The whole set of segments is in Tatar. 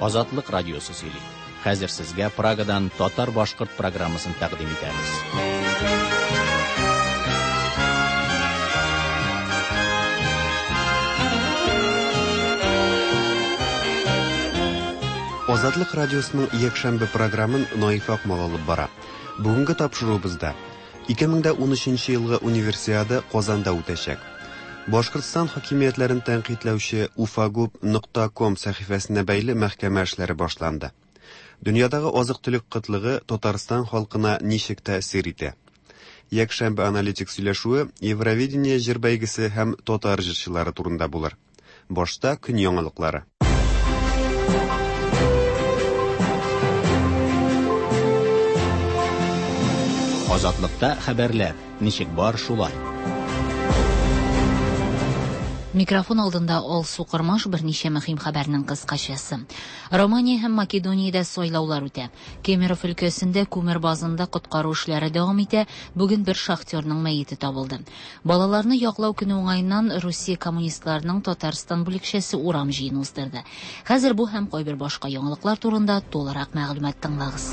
Азатлык радиосы сөйли. Хәзер сезгә Прагадан татар-башкорт программасын тәкъдим итәбез. Азатлык радиосының якшәмбе програмын Наиф Акмал алып бара. Бүгенге тапшыруыбызда 2013 елгы Универсиада Казанда үтәчәк. Башкортстан хакимиятләрен тәнкыйтьләүче ufagub.com сәхифәсенә бәйле мәхкәмә эшләре башланды. Дөньядагы азык-төлек кытлыгы Татарстан халкына ничек тәэсир итә? Якшәмбе аналитик сөйләшүе Евровидение җыр бәйгесе һәм татар җырчылары турында булыр. Башта көн яңалыклары. Азатлыкта хәбәрләр ничек бар шулай. Микрофон алдында Алсу Кормаш берничә мөһим хәбәрнең кыскачасы. Романия һәм Македониядә сайлаулар үтә. Кемеров өлкәсендә күмер базында коткару эшләре дәвам итә. Бүген бер шахтерның мәете табылды. Балаларны яклау көне уңаеннан Русия коммунистларының Татарстан бүлекчәсе урам җыены уздырды. Хәзер бу һәм кайбер башка яңалыклар турында тулырак мәгълүмат тыңлагыз.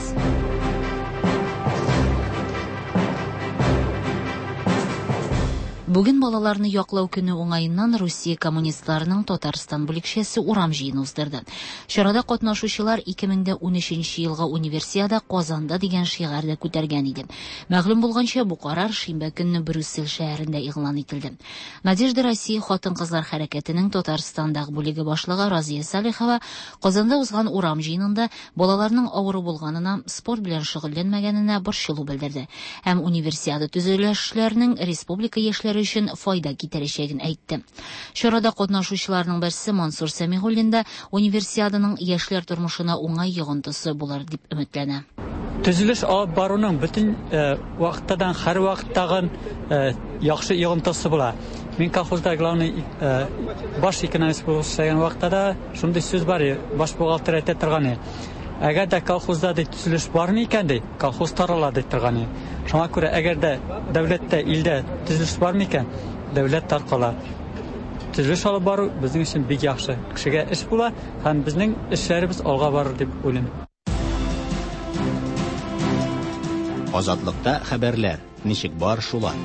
Бүген балаларны яклау көне уңаеннан Русия коммунистларының Татарстан бүлекчәсе урам җыены уздырды. Чарада катнашучылар 2013 елгы Универсиада Казанда дигән шигарьдә күтәргән иде. Мәгълүм булганча, бу карар шимбә көнне Брюссель шәһәрендә игълан ителде. Надежда Россия хатын-кызлар хәрәкәтенең Татарстандагы бүлеге башлыгы Разия Салихова Казанда узган урам җыенында балаларның авыру булганына, спорт белән шөгыльләнмәгәненә борчылу белдерде һәм Универсиада төзелешләренең республика яшьләре өчен файда китерәчәген әйтте. Чарада катнашучыларның берсе Мансур Сәмигуллин да Универсиаданың яшьләр тормышына уңай йогынтысы булыр дип өметләнә. Төзелеш алып баруның бөтен вакыттадан һәр вакыттагы яхшы йогынтысы була. Мин колхозда главный баш экономист булып эшләгән вакытта да шундый сүз бар, баш бухгалтер әйтә торган. Әгәр дә колхозда ди төзелеш бармы икән ди, колхоз тарала ди торган. Шуңа күрә әгәр дә дәүләттә, илдә төзелеш бармы икән, дәүләт таркала. Төзелеш алып бару безнең өчен бик яхшы. Кешегә эш була һәм безнең эшләребез алга барыр дип уйлыйм. Азатлыкта хәбәрләр ничек бар шулай.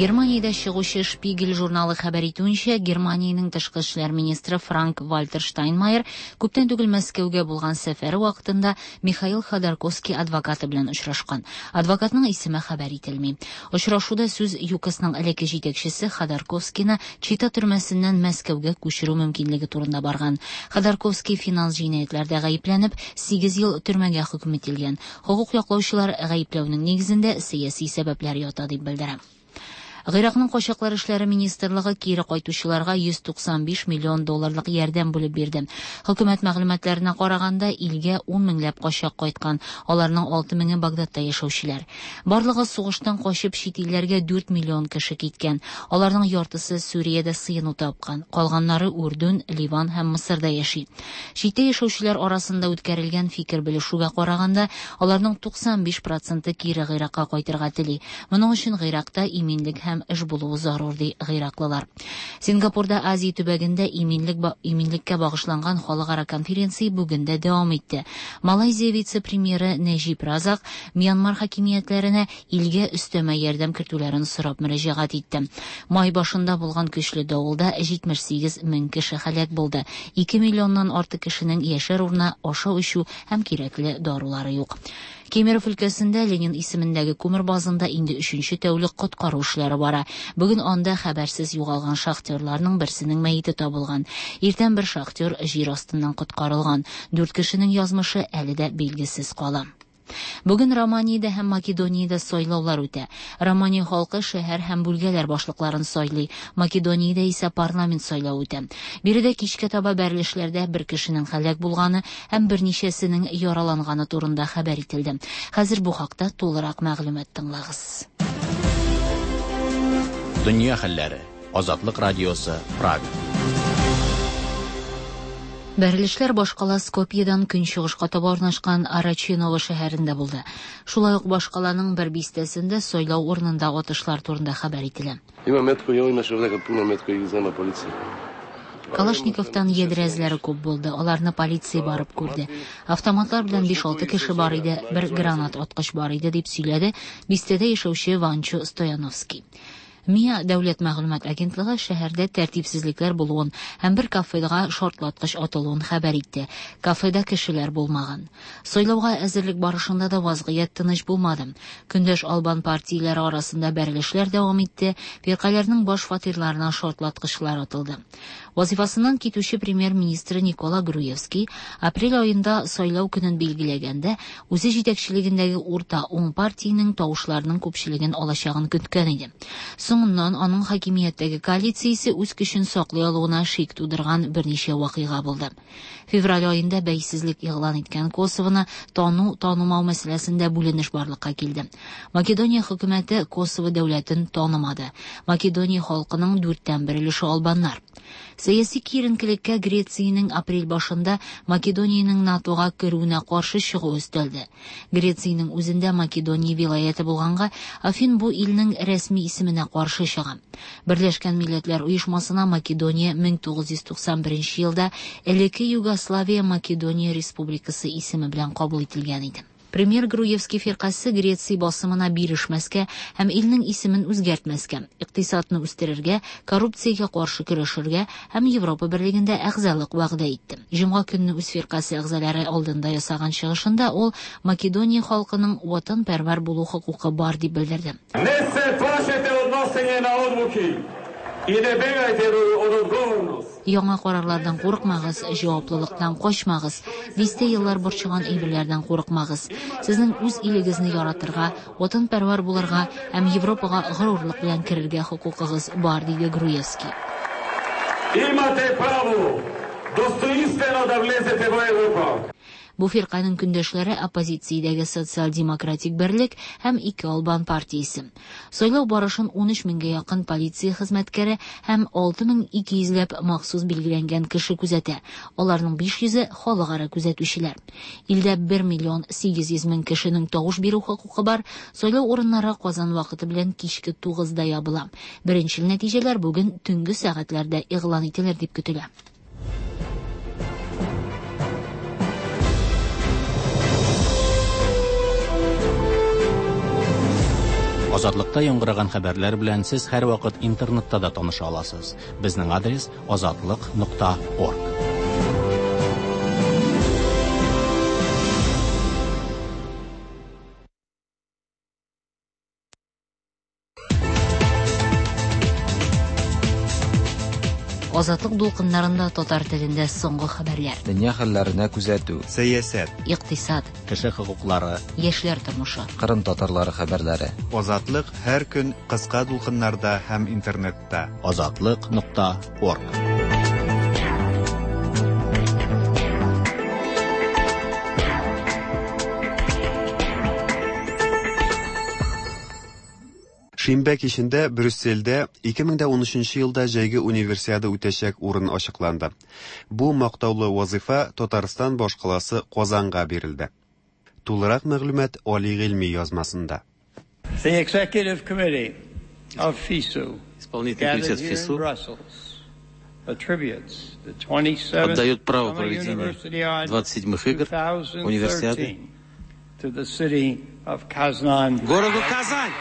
Германиядә чыгучы Шпигель журналы хәбәр итүенчә, Германиянең тышкы эшләр министры Франк Вальтер Штайнмайер күптән түгел Мәскәүгә булган сәфәре вакытында Михаил Ходорковский адвокаты белән очрашкан. Адвокатның исеме хәбәр ителми. Очрашуда сүз ЮКОСның элекке җитәкчесе Ходорковскийны Чита төрмәсеннән Мәскәүгә күчерү мөмкинлеге турында барган. Ходорковский финанс җинаятьләрдә гаепләнеп, 8 ел төрмәгә хөкем ителгән. Хокук яклаучылар гаепләүнең нигезендә сәяси сәбәпләр ята дип белдерә. Гыйракның качаклар эшләре министрлыгы кире кайтучыларга 195 миллион долларлык ярдәм бүлеп бирде. Хөкүмәт мәгълүматларына караганда, илгә 10 меңләп качак кайткан, аларның 6 меңе Багдадта яшәүчеләр. Барлыгы сугыштан качып чит илләргә 4 миллион кеше киткән. Аларның яртысы Сүриядә сыену тапкан, калганнары Үрдүн, Ливан һәм Мысырда яши. Читтә яшәүчеләр арасында үткәрелгән фикер белешүгә караганда, аларның 95% кире Гыйракка кайтырга тели. Моның өчен Гыйракта иминлек һәм эш булуы зарур ди гыйраклылар. Сингапурда Азия төбәгендә иминлеккә багышланган халыкара конференция бүген дә дәвам итте. Малайзия вице-премьеры Нәҗип Разак Мьянмар хакимиятләренә илгә өстәмә ярдәм кертүләрен сорап мөрәҗәгать итте. Май башында булган көчле давылда 78 мең кеше һәлак булды. 2 миллионнан артык кешенең яшәр урыны, ашау-эчү һәм кирәкле дарулары юк. Кемеров өлкәсендә Ленин исемендәге күмер базында инде 3нче тәүлек коткару эшләре бара. Бүген анда хәбәрсез югалган шахтерларның берсенең мәете табылган. Иртән бер шахтер җир астыннан коткарылган. 4 кешенең язмышы әле дә билгесез кала. Бүген Романиядә һәм Македониядә сайлаулар үтә. Романия халкы шәһәр һәм бүлгәләр башлыкларын сайлый. Македониядә исә парламент сайлавы үтә. Биредә кичкә таба бәрелешләрдә бер кешенең һәлак булганы һәм берничәсенең яраланганы турында хәбәр ителде. Хәзер бу хакта тулырак мәгълүмат тыңлагыз. Дөнья хәлләре. Азатлык радиосы, Прага. Бәрелешләр башкала Скопьедан көнчыгышка таба урнашкан Арачиново шәһәрендә булды. Шулай ук башкаланың бер бистәсендә сайлау урынында атышлар турында хәбәр ителә. Има метко и имаше овдека пуно метко и ги зема полиција. Калашниковтан ядрә эзләре күп булды. Аларны полиция барып күрде. Автоматлар белән 5-6 кеше бар иде, бер гранат аткыч бар иде, дип сөйләде бистәдә яшәүче Ванчо Стояновский. МИА дәүләт мәгълүмат агентлыгы шәһәрдә тәртипсезлекләр булуын һәм бер кафега шартлаткыч атылуын хәбәр итте. Кафеда кешеләр булмаган. Сайлауга әзерлек барышында да вазгыять тыныч булмады. Көндәш албан партияләре арасында бәрелешләр дәвам итте, фиркаләрнең баш фатирларына шартлаткычлар атылды. Вазифасыннан китүче премьер-министры Никола Груевский апрель аенда сайлау көнен билгеләгәндә үзе җитәкчелегендәге урта уң партиянең тавышларының күпчелеген алачагын көткән иде. Соңыннан аның хакимияттәге коалициясе үз көчен саклый алуына шик тудырган берничә вакыйга булды. Февраль аенда бәйсезлек игълан иткән Косовоны тану, танымау мәсьәләсендә бүленеш барлыкка килде. Македония хөкүмәте Косово дәүләтен танымады. Македония халкының 1/4 өлеше албаннар. Сәяси киеренкелеккә Грециянең апрель башында Македониянең НАТОга керүенә каршы чыгуы өстәлде. Грециянең үзендә Македония вилаяте булганга, Афин бу илнең рәсми исеменә каршы чыга. Берләшкән Милләтләр Оешмасына Македония 1991 елда элекке Югославия Македония Республикасы исеме белән кабул ителгән иде. Премьер Груевский фиркасе Греция басымына бирешмәскә һәм илнең исемен үзгәртмәскә, икътисадны үстерергә, коррупциягә каршы көрәшергә һәм Европа берлегендә әгъзалык вәгъдә итте. Җомга көнне үз фиркасе әгъзалары алдында ясаган чыгышында ул Македония халкының ватанпәрвәр булу хокукы бар дип белдерде. Не се плашете од носење на одлуки и не бегайте од одговорност. Яңа карарлардан курыкмагыз, җаваплылыктан качмагыз, дистә еллар борчыган әйберләрдән курыкмагыз. Сезнең үз илегезне яратырга, ватанпәрвәр булырга һәм Европага горурлык белән керергә хокукыгыз бар, диде Груевский. Имате право достоинствено да влезете во Европа. Бу фирканең көндәшләре оппозициядәге социал-демократик берлек һәм ике албан партиясе. Сайлау барышын 13 меңгә якын полиция хезмәткәре һәм 6200 ләп махсус билгеләнгән кеше күзәтә. Аларның 500-е халыкара күзәтүчеләр. Илдә 1 миллион 800 мең кешенең тавыш бирү хокукы бар. Сайлау урыннары Казан вакыты белән кичке 9-да ябыла. Беренчел нәтиҗәләр бүген төнге сәгатьләрдә игълан ителер дип көтелә. Азатлыкта яңгыраган хәбәрләр белән сез һәрвакыт интернетта да таныша аласыз. Безнең адрес azatliq.org. Азатлык дулкыннарында татар телендә соңгы хәбәрләр. Дөнья хәлләренә күзәтү, Сәясәт, Икътисад, Кеше хокуклары, яшьләр тормышы. Кырым татарлары хәбәрләре. Азатлык һәр көн кыска дулкыннарда һәм интернетта. azatliq.org. Шимбә кичендә Брюссельдә 2013 елда җәйге универсиада үтәчәк урын ачыкланды. Бу мактаулы вазифа Татарстан башкаласы Казанга бирелде. Тулырак мәгълүмат Али Гыйльми язмасында. The Executive Committee of FISU Исполнительный комитет gathered here in ФИСУ Brussels attributes the 27th отдает право Summer проведения Universiade 27-х игр 2013 универсиады to the city of Kazan. городу Казань.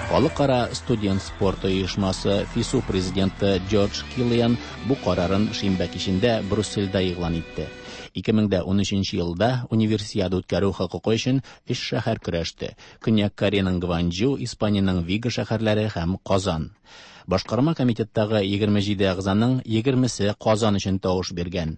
Халыкара студент спорты оешмасы ФИСУ президенты Джордж Киллиан бу карарын шимбә кичендә Брюссельдә игълан итте. 2013 елда универсиада үткәрү хокукы өчен өч шәһәр көрәште. Көньяк Кореяның Гванчжу, Испаниянең Виго шәһәрләре һәм Казан. Башкарма комитеттагы 27 әгъзаның 20-се Казан өчен тавыш биргән.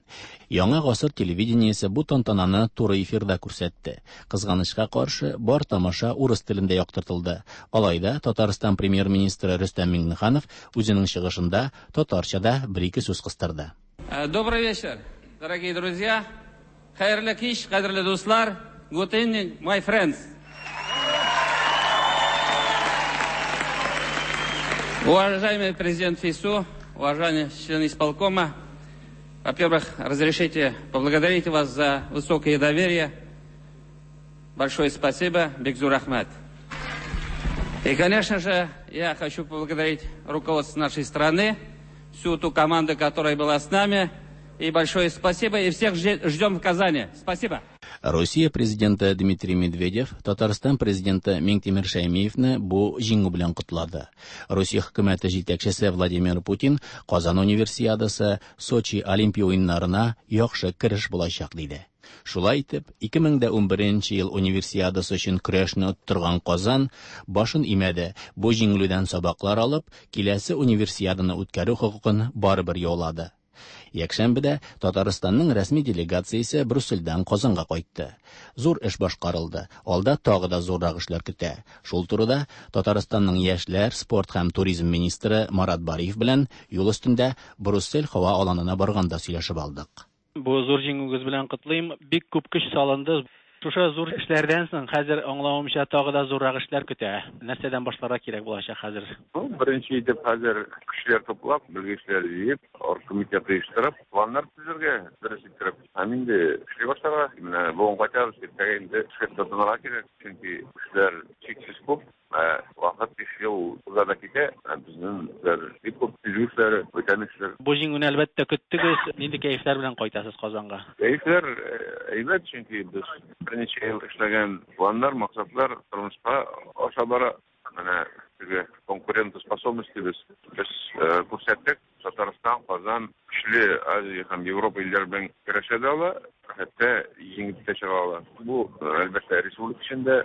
Яңа гасыр телевидениесе бу тантананы туры эфирда күрсәтте. Кызганычка каршы, бар тамаша урыс телендә яктыртылды. Алай да Татарстан премьер-министры Рөстәм Миңнеханов үзенең чыгышында татарча да бер-ике сүз кыстырды. Добрый вечер, дорогие друзья. Хәерле кич, кадерле дуслар. Good evening, my friends. Уважаемый президент ФИСУ, уважаемые члены исполкома, Во-первых, разрешите поблагодарить вас за высокое доверие. Большое спасибо, Бик зур рәхмәт. И, конечно же, я хочу поблагодарить руководство нашей страны, всю ту команду, которая была с нами. И большое спасибо, и всех ждем в Казани. Спасибо. Россия президенты Дмитрий Медведев Татарстан президенты Миңтимер Шәймиевне бу җиңү белән котлады. Россия хөкүмәте җитәкчесе Владимир Путин Казан универсиадасы Сочи Олимпия уеннарына яхшы кереш булачак диде. Шулай итеп, 2011 ел универсиадасы өчен көрәшне оттырган Казан башын имәде. Бу җиңелүдән сабаклар алып, киләсе универсиаданы үткәрү хокукын барыбер яулады. Якшәмбедә Татарстанның рәсми делегациясе Брюссельдән Казанга кайтты. Зур эш башкарылды. Алда тагы да зуррак эшләр көтә. Шул турыда Татарстанның яшьләр, спорт һәм туризм министры Марат Бариев белән юл өстендә Брюссель һава аланына барганда сөйләшеп алдык. Бу зур җиңүегез белән котлыйм. Бик күп көч салынды. Шушы зур эшләрдән соң хәзер аңлавымча тагы да зуррак эшләр көтә. Нәрсәдән башларга кирәк булачак хәзер? Ну, беренче итеп хәзер кешеләр туплап, белгечләр җыеп, оргкомитет оештырып, планнар төзергә, дөрес иттереп. Һәм инде эшли башларга. Менә бүген кайтабыз, иртәгә инде эшкә тотынырга кирәк, чөнки эшләр чиксез күп. Ә вакыт 5 ел уза да китә, ә безнең эшләр бик күп, төзү эшләре, бүтән эшләр. Бу җиңүне әлбәттә көттегез. Нинди кәефләр белән кайтасыз Казанга? Кәефләр әйбәт, чөнки без берничә ел эшләгән планнар, максатлар тормышка аша бара. Менә теге конкурентоспособность дибез. Без күрсәттек, Татарстан, Казан көчле Азия һәм Европа илләре белән көрәшә дә ала, хәтта җиңеп тә чыга ала. Бу, әлбәттә, республика өчен дә,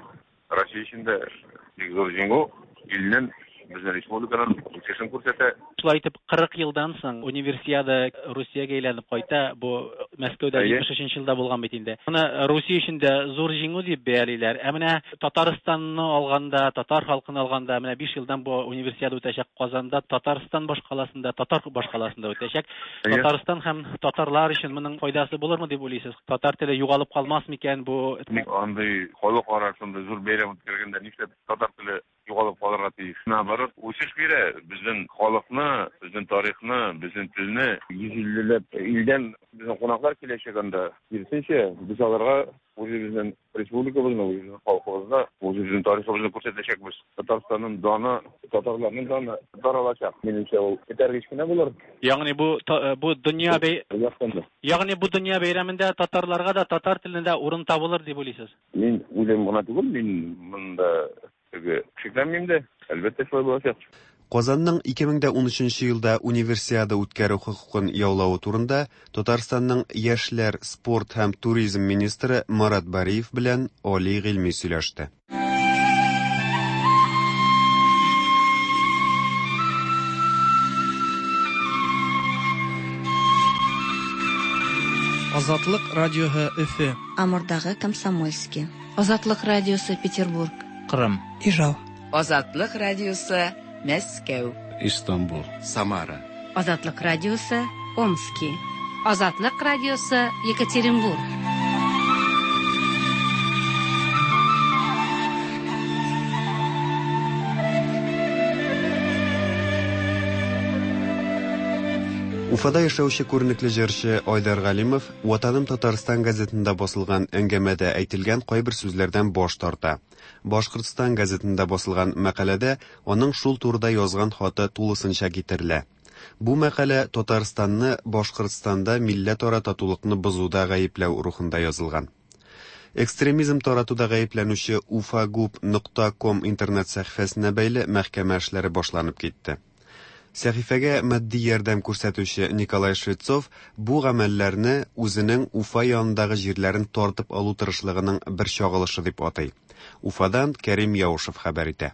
Россия өчен дә бик зур җиңү, илнең, безнең республиканың үсешен күрсәтә. Шулай итеп, 40 елдан соң Универсиада Русиягә әйләнеп кайта. Бу Мәскәүдә 73 елда булган бит инде. Моны Русия өчен дә зур җиңү дип бәялиләр. Ә менә Татарстанны алганда, татар халкын алганда, менә 5 елдан бу Универсиада үтәчәк Казанда, Татарстан башкаласында, татар башкаласында үтәчәк. Татарстан һәм татарлар өчен моның файдасы булырмы дип уйлыйсыз? Татар теле югалып калмас микән бу? Ник андый халыкара шундый зур бәйрәм үткәргәндә нишләп татар теле югалып калырга тиеш? Наоборот, үсеш бирә безнең халыкны, безнең тарихны, безнең телне. 150 ләп илдән безнең кунаклар киләчәк анда. Киресенчә, без аларга үзебезнең республикабызны, үзебезнең халкыбызны, үзебезнең тарихыбызны күрсәтәчәкбез. Татарстанның даны, татарларның даны таралачак. Минемчә, ул этәргеч кенә булыр. Ягъни бу бу дөнья бәй Ягъни бу дөнья бәйрәмендә татарларга да татар теленә дә урын табылыр дип уйлыйсыз? Мин уйлыйм гына түгел, мин монда теге шикләнмим дә. Әлбәттә, шулай булачак. Казанның 2013 елда Универсиада үткәрү хокукын яулавы турында Татарстанның яшьләр, спорт һәм туризм министры Марат Бариев белән Али Гыйльми сөйләште. Азатлык радиоһы Өфе. Амурдагы Комсомольский. Азатлык радиосы Петербург. Кырым. Ижау. Азатлык радиосы Мәскәү. Истанбул. Самара. Азатлык радиосы Омски. Азатлык радиосы Екатеринбург. Уфада яшәүче күренекле җырчы Айдар Галимов Ватаным Татарстан газетында басылган әңгәмәдә әйтелгән кайбер сүзләрдән баш тарта. Башкортстан газетында басылган мәкаләдә аның шул турыда язган хаты тулысынча китерелә. Бу мәкалә Татарстанны Башкортстанда милләтара татулыкны бозуда гаепләү рухында язылган. Экстремизм таратуда гаепләнүче ufagub.com интернет сәхифәсенә бәйле мәхкәмә эшләре башланып китте. Сәхифәгә матди ярдәм күрсәтүче Николай Швецов бу гамәлләрне үзенең Уфа янындагы җирләрен тартып алу тырышлыгының бер чагылышы дип атый. Уфадан Кәрим Яушев хәбәр итә.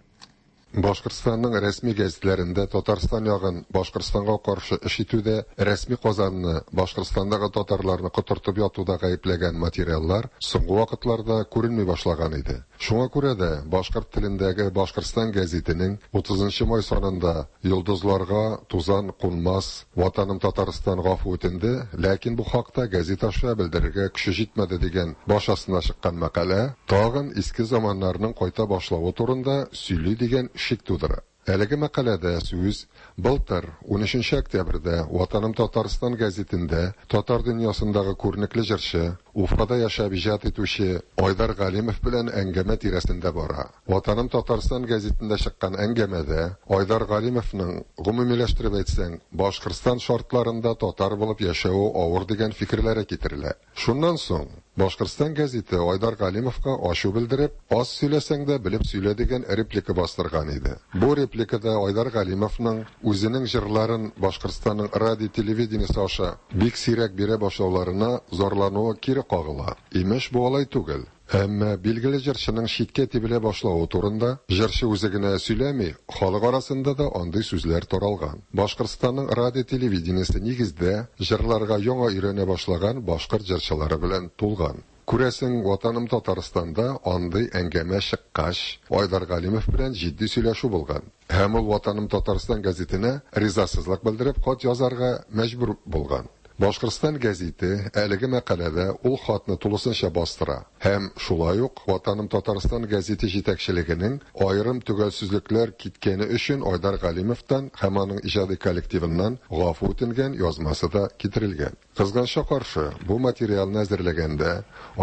Башкортстанның рәсми гәзитләрендә Татарстан ягын Башкортстанга каршы эш итүдә, рәсми Казанны Башкортстандагы татарларны котыртып ятуда гаепләгән материаллар соңгы вакытларда күренми башлаган иде. Шуңа күрә дә башкорт телендәге Башкортстан гәзитенең 30 май санында йолдызларга тузан кунмас, Ватаным Татарстан гафу үтенде, ләкин бу хакта гәзит аша белдерергә көче җитмәде дигән баш астына чыккан мәкалә тагын иске заманнарның кайта башлавы турында сөйли дигән шик тудыра. Әлеге мәкаләдә сүз былтыр 13 октябрьдә Ватаным Татарстан гәзитендә татар дөньясындагы күренекле җырчы, Уфада яшәп иҗат итүче Айдар Галимов белән әңгәмә тирәсендә бара. Ватаным Татарстан гәзитендә чыккан әңгәмәдә Айдар Галимовның, гомумиләштереп әйтсәң, Башкортстан шартларында татар булып яшәве авыр дигән фикерләре китерелә. Шуннан соң Башкортстан гәзите Айдар Галимовка ачу белдереп, аз сөйләсәң дә белеп сөйлә дигән реплика бастырган иде. Бу репликада Айдар Галимовның үзенең җырларын Башкортстанның радио-телевидениесе аша бик сирәк бирә башлауларына зарлануы кире кагыла. Имеш, бу алай түгел. Әмма билгеле җырчының читкә тибелә башлавы турында җырчы үзе генә сөйләми, халык арасында да андый сүзләр таралган. Башкортстанның радио-телевидениесе нигездә җырларга яңа өйрәнә башлаган башкорт җырчылары белән тулган. Күрәсең, Ватаным Татарстанда андый әңгәмә чыккач, Айдар Галимов белән җитди сөйләшү булган. Һәм ул Ватаным Татарстан гәзитенә ризасызлык белдереп хат язарга мәҗбүр булган. Башкортстан гәзите әлеге мәкаләдә ул хатны тулысынча бастыра һәм шулай ук Ватаным Татарстан гәзите җитәкчелегенең аерым төгәлсезлекләр киткәне өчен Айдар Галимовтан һәм аның иҗади коллективыннан гафу үтенгән язмасы да китерелгән. Кызганычка каршы, бу материалны әзерләгәндә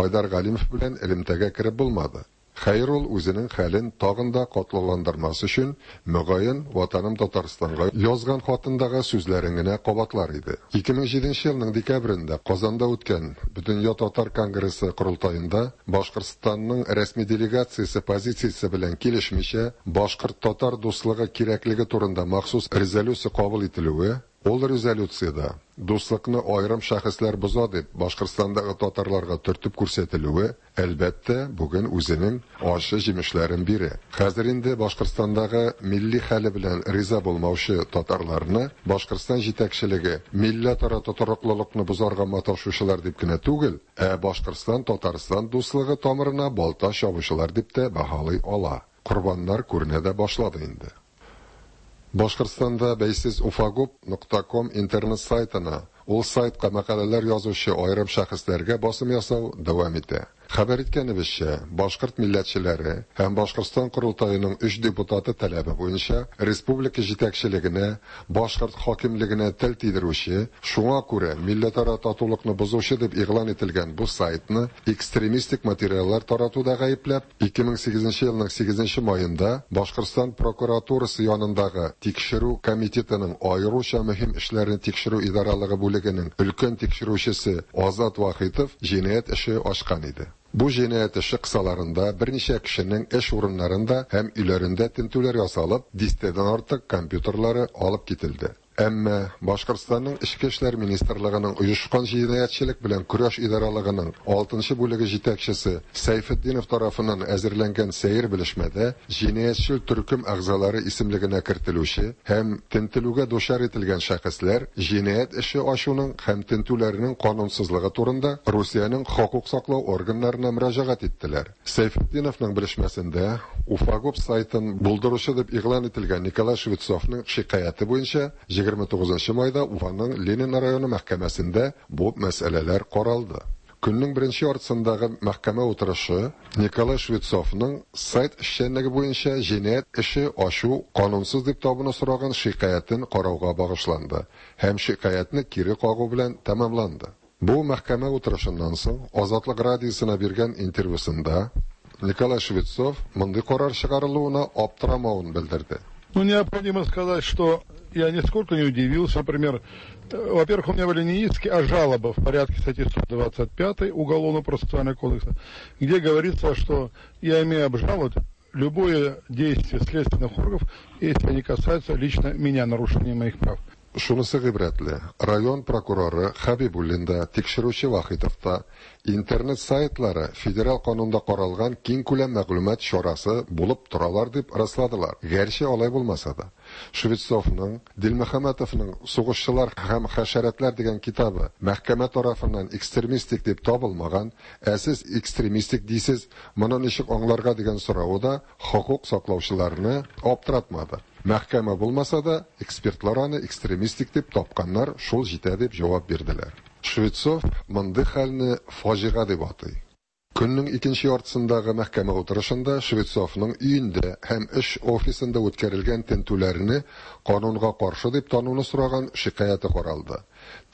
Айдар Галимов белән элемтәгә кереп булмады. Хәер, ул үзенең хәлен тагын да катлауландырмас өчен, мөгаен, Ватаным Татарстанга язган хатындагы сүзләрен генә кабатлар иде. 2007 елның декабрендә Казанда үткән Бөтендөнья татар конгрессы корылтаенда Башкортстанның рәсми делегациясе позициясе белән килешмичә, башкорт-татар дуслыгы кирәклеге турында махсус резолюция кабул ителүе, ул резолюциядә дуслыкны аерым шәхесләр боза дип Башкортстандагы татарларга төртеп күрсәтелүе, әлбәттә, бүген үзенең ачы җимешләрен бирә. Хәзер инде Башкортстандагы милли хәле белән риза булмаучы татарларны Башкортстан җитәкчелеге милләтара тотрыклылыкны бозарга маташучылар дип кенә түгел, ә Башкортстан-Татарстан дуслыгы тамырына балта чабучылар дип тә бәһалый ала. Корбаннар күренә дә башлады инде. Башкортстанда бәйсез уфагуб.ком интернет сайтына, ул сайтка мәкаләләр язучы аерым шәхесләргә басым ясау дәвам итә. Хәбәр иткәнебезчә, башкорт милләтчеләре һәм Башкортстан корылтаеның өч депутаты таләбе буенча республика җитәкчелегенә, башкорт хакимлегенә тел тидерүче, шуңа күрә милләтара татулыкны бозучы дип игълан ителгән бу сайтны экстремистик материаллар таратуда гаепләп, 2008 елның 8 маенда Башкортстан прокуратурасы янындагы Тикшерү комитетының аеруча мөһим эшләрне тикшерү идаралыгы бүлегенең өлкән тикшерүчесе Азат Вахитов җинаять эше ачкан иде. Бу җинаять эше кысаларында берничә кешенең эш урыннарында һәм өйләрендә тентүләр ясалып, дистәдән артык компьютерлары алып кителде. Әмма Башкортстанның Эчке эшләр министрлыгының оешкан җинаятьчелек белән көрәш идаралыгының 6 бүлеге җитәкчесе Сәйфетдинов тарафыннан әзерләнгән сәер белешмәдә җинаятьчел төркем әгъзалары исемлегенә кертелүче һәм тентелүгә дучар ителгән шәхесләр җинаять эше ачуның һәм тентүләрнең канунсызлыгы турында Русиянең хокук саклау органнарына мөрәҗәгать иттеләр. Сәйфетдиновның белешмәсендә Уфагуб сайтын булдыручы дип игълан ителгән Николай Швецовның шикаяте буенча 29 майда Уфаның Ленин районы мәхкәмәсендә бу мәсьәләләр каралды. Көннең беренче яртысындагы мәхкәмә утырышы Николай Швецовның сайт эшчәнлеге буенча җинаять эше ачу канунсыз дип табуны сораган шикаятен карауга багышланды һәм шикаятне кире кагу белән тәмамланды. Бу мәхкәмә утырышыннан соң Азатлык радиосына биргән интервьюсында Николай Швецов мондый карар чыгарылуына аптырамавын белдерде. Ну, необходимо сказать, что я нисколько не удивился. Например, во-первых, у меня были не иски, а жалобы в порядке статьи 125 Уголовно-процессуального кодекса, где говорится, что я имею обжаловать любое действие следственных органов, если они касаются лично меня, нарушения моих прав. Шунысы гыйбрәтле, район прокуроры Хәбибуллин да, тикшерүче Вахитов та интернет сайтлары федераль канунда каралган киң күләм мәгълүмат чарасы булып торалар дип расладылар. Гәрчә алай булмаса да. Швецовның, Дилмөхәммәтовның Сугышчылар һәм хәшәрәтләр дигән китабы мәхкәмә тарафыннан экстремистик дип табылмаган, ә сез экстремистик дисез, моны ничек аңларга дигән соравы да хокук саклаучыларны аптыратмады. Мәхкәмә булмаса да, экспертлар аны экстремистик дип тапканнар, шул җитә дип җавап бирделәр. Швецов мондый хәлне фаҗига дип атый. Көннең икенче яртысындагы мәхкәмә утырышында Швецовның өендә һәм эш офисында үткәрелгән тентүләрне канунга каршы дип тануны сораган шикаяте каралды.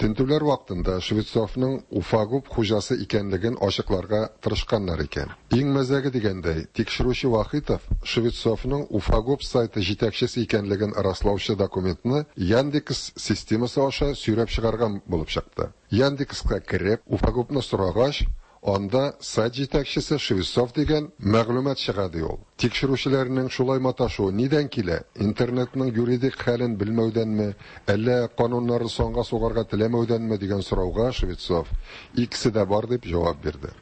Тентүләр вакытында Швецовның Уфагуб хуҗасы икәнлеген ачыкларга тырышканнар икән. Иң мәзәге дигәндәй, тикшерүче Вахитов Швецовның Уфагуб сайты җитәкчесе икәнлеген раслаучы документны Яндекс системасы аша сөйрәп чыгарган булып чыкты. Яндекска кереп, Уфагубны сорагач, анда сайт җитәкчесе Швецов дигән мәгълүмат чыга ди ул. Тикшерүчеләрнең шулай маташуы нидән килә? Интернетның юридик хәлен белмәүдәнме, әллә кануннарын санга сугарга теләмәүдәнме дигән сорауга Швецов икесе дә бар дип җавап бирде.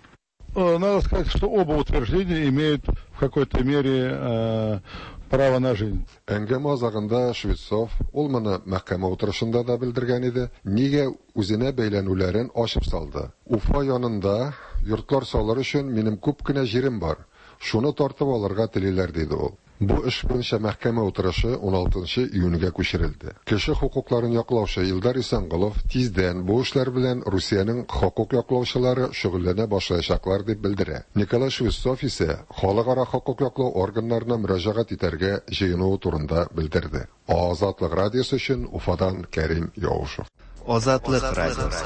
Надо сказать, что оба утверждения имеют в какой-то мере право на жизнь. Әңгәмә азагында Швецов, ул моны мәхкәмә утырышында да белдергән иде, нигә үзенә бәйләнүләрен ачып салды. Уфа янында йортлар салыр өчен минем күп кенә җирем бар. Шуны тартып алырга телиләр, диде ул. Бу эш буенча мәхкәмә утырышы 16 июньгә күчерелде. Кеше хокукларын яклаучы Илдар Исәнголов тиздән бу эшләр белән Русиянең хокук яклаучылары шөгыльләнә башлаячаклар дип белдерә. Николай Швецов исә халыкара хокук яклау органнарына мөрәҗәгать итәргә җыенуы турында белдерде. Азатлык радиосы өчен Уфадан Кәрим Яушев. Азатлык радиосы.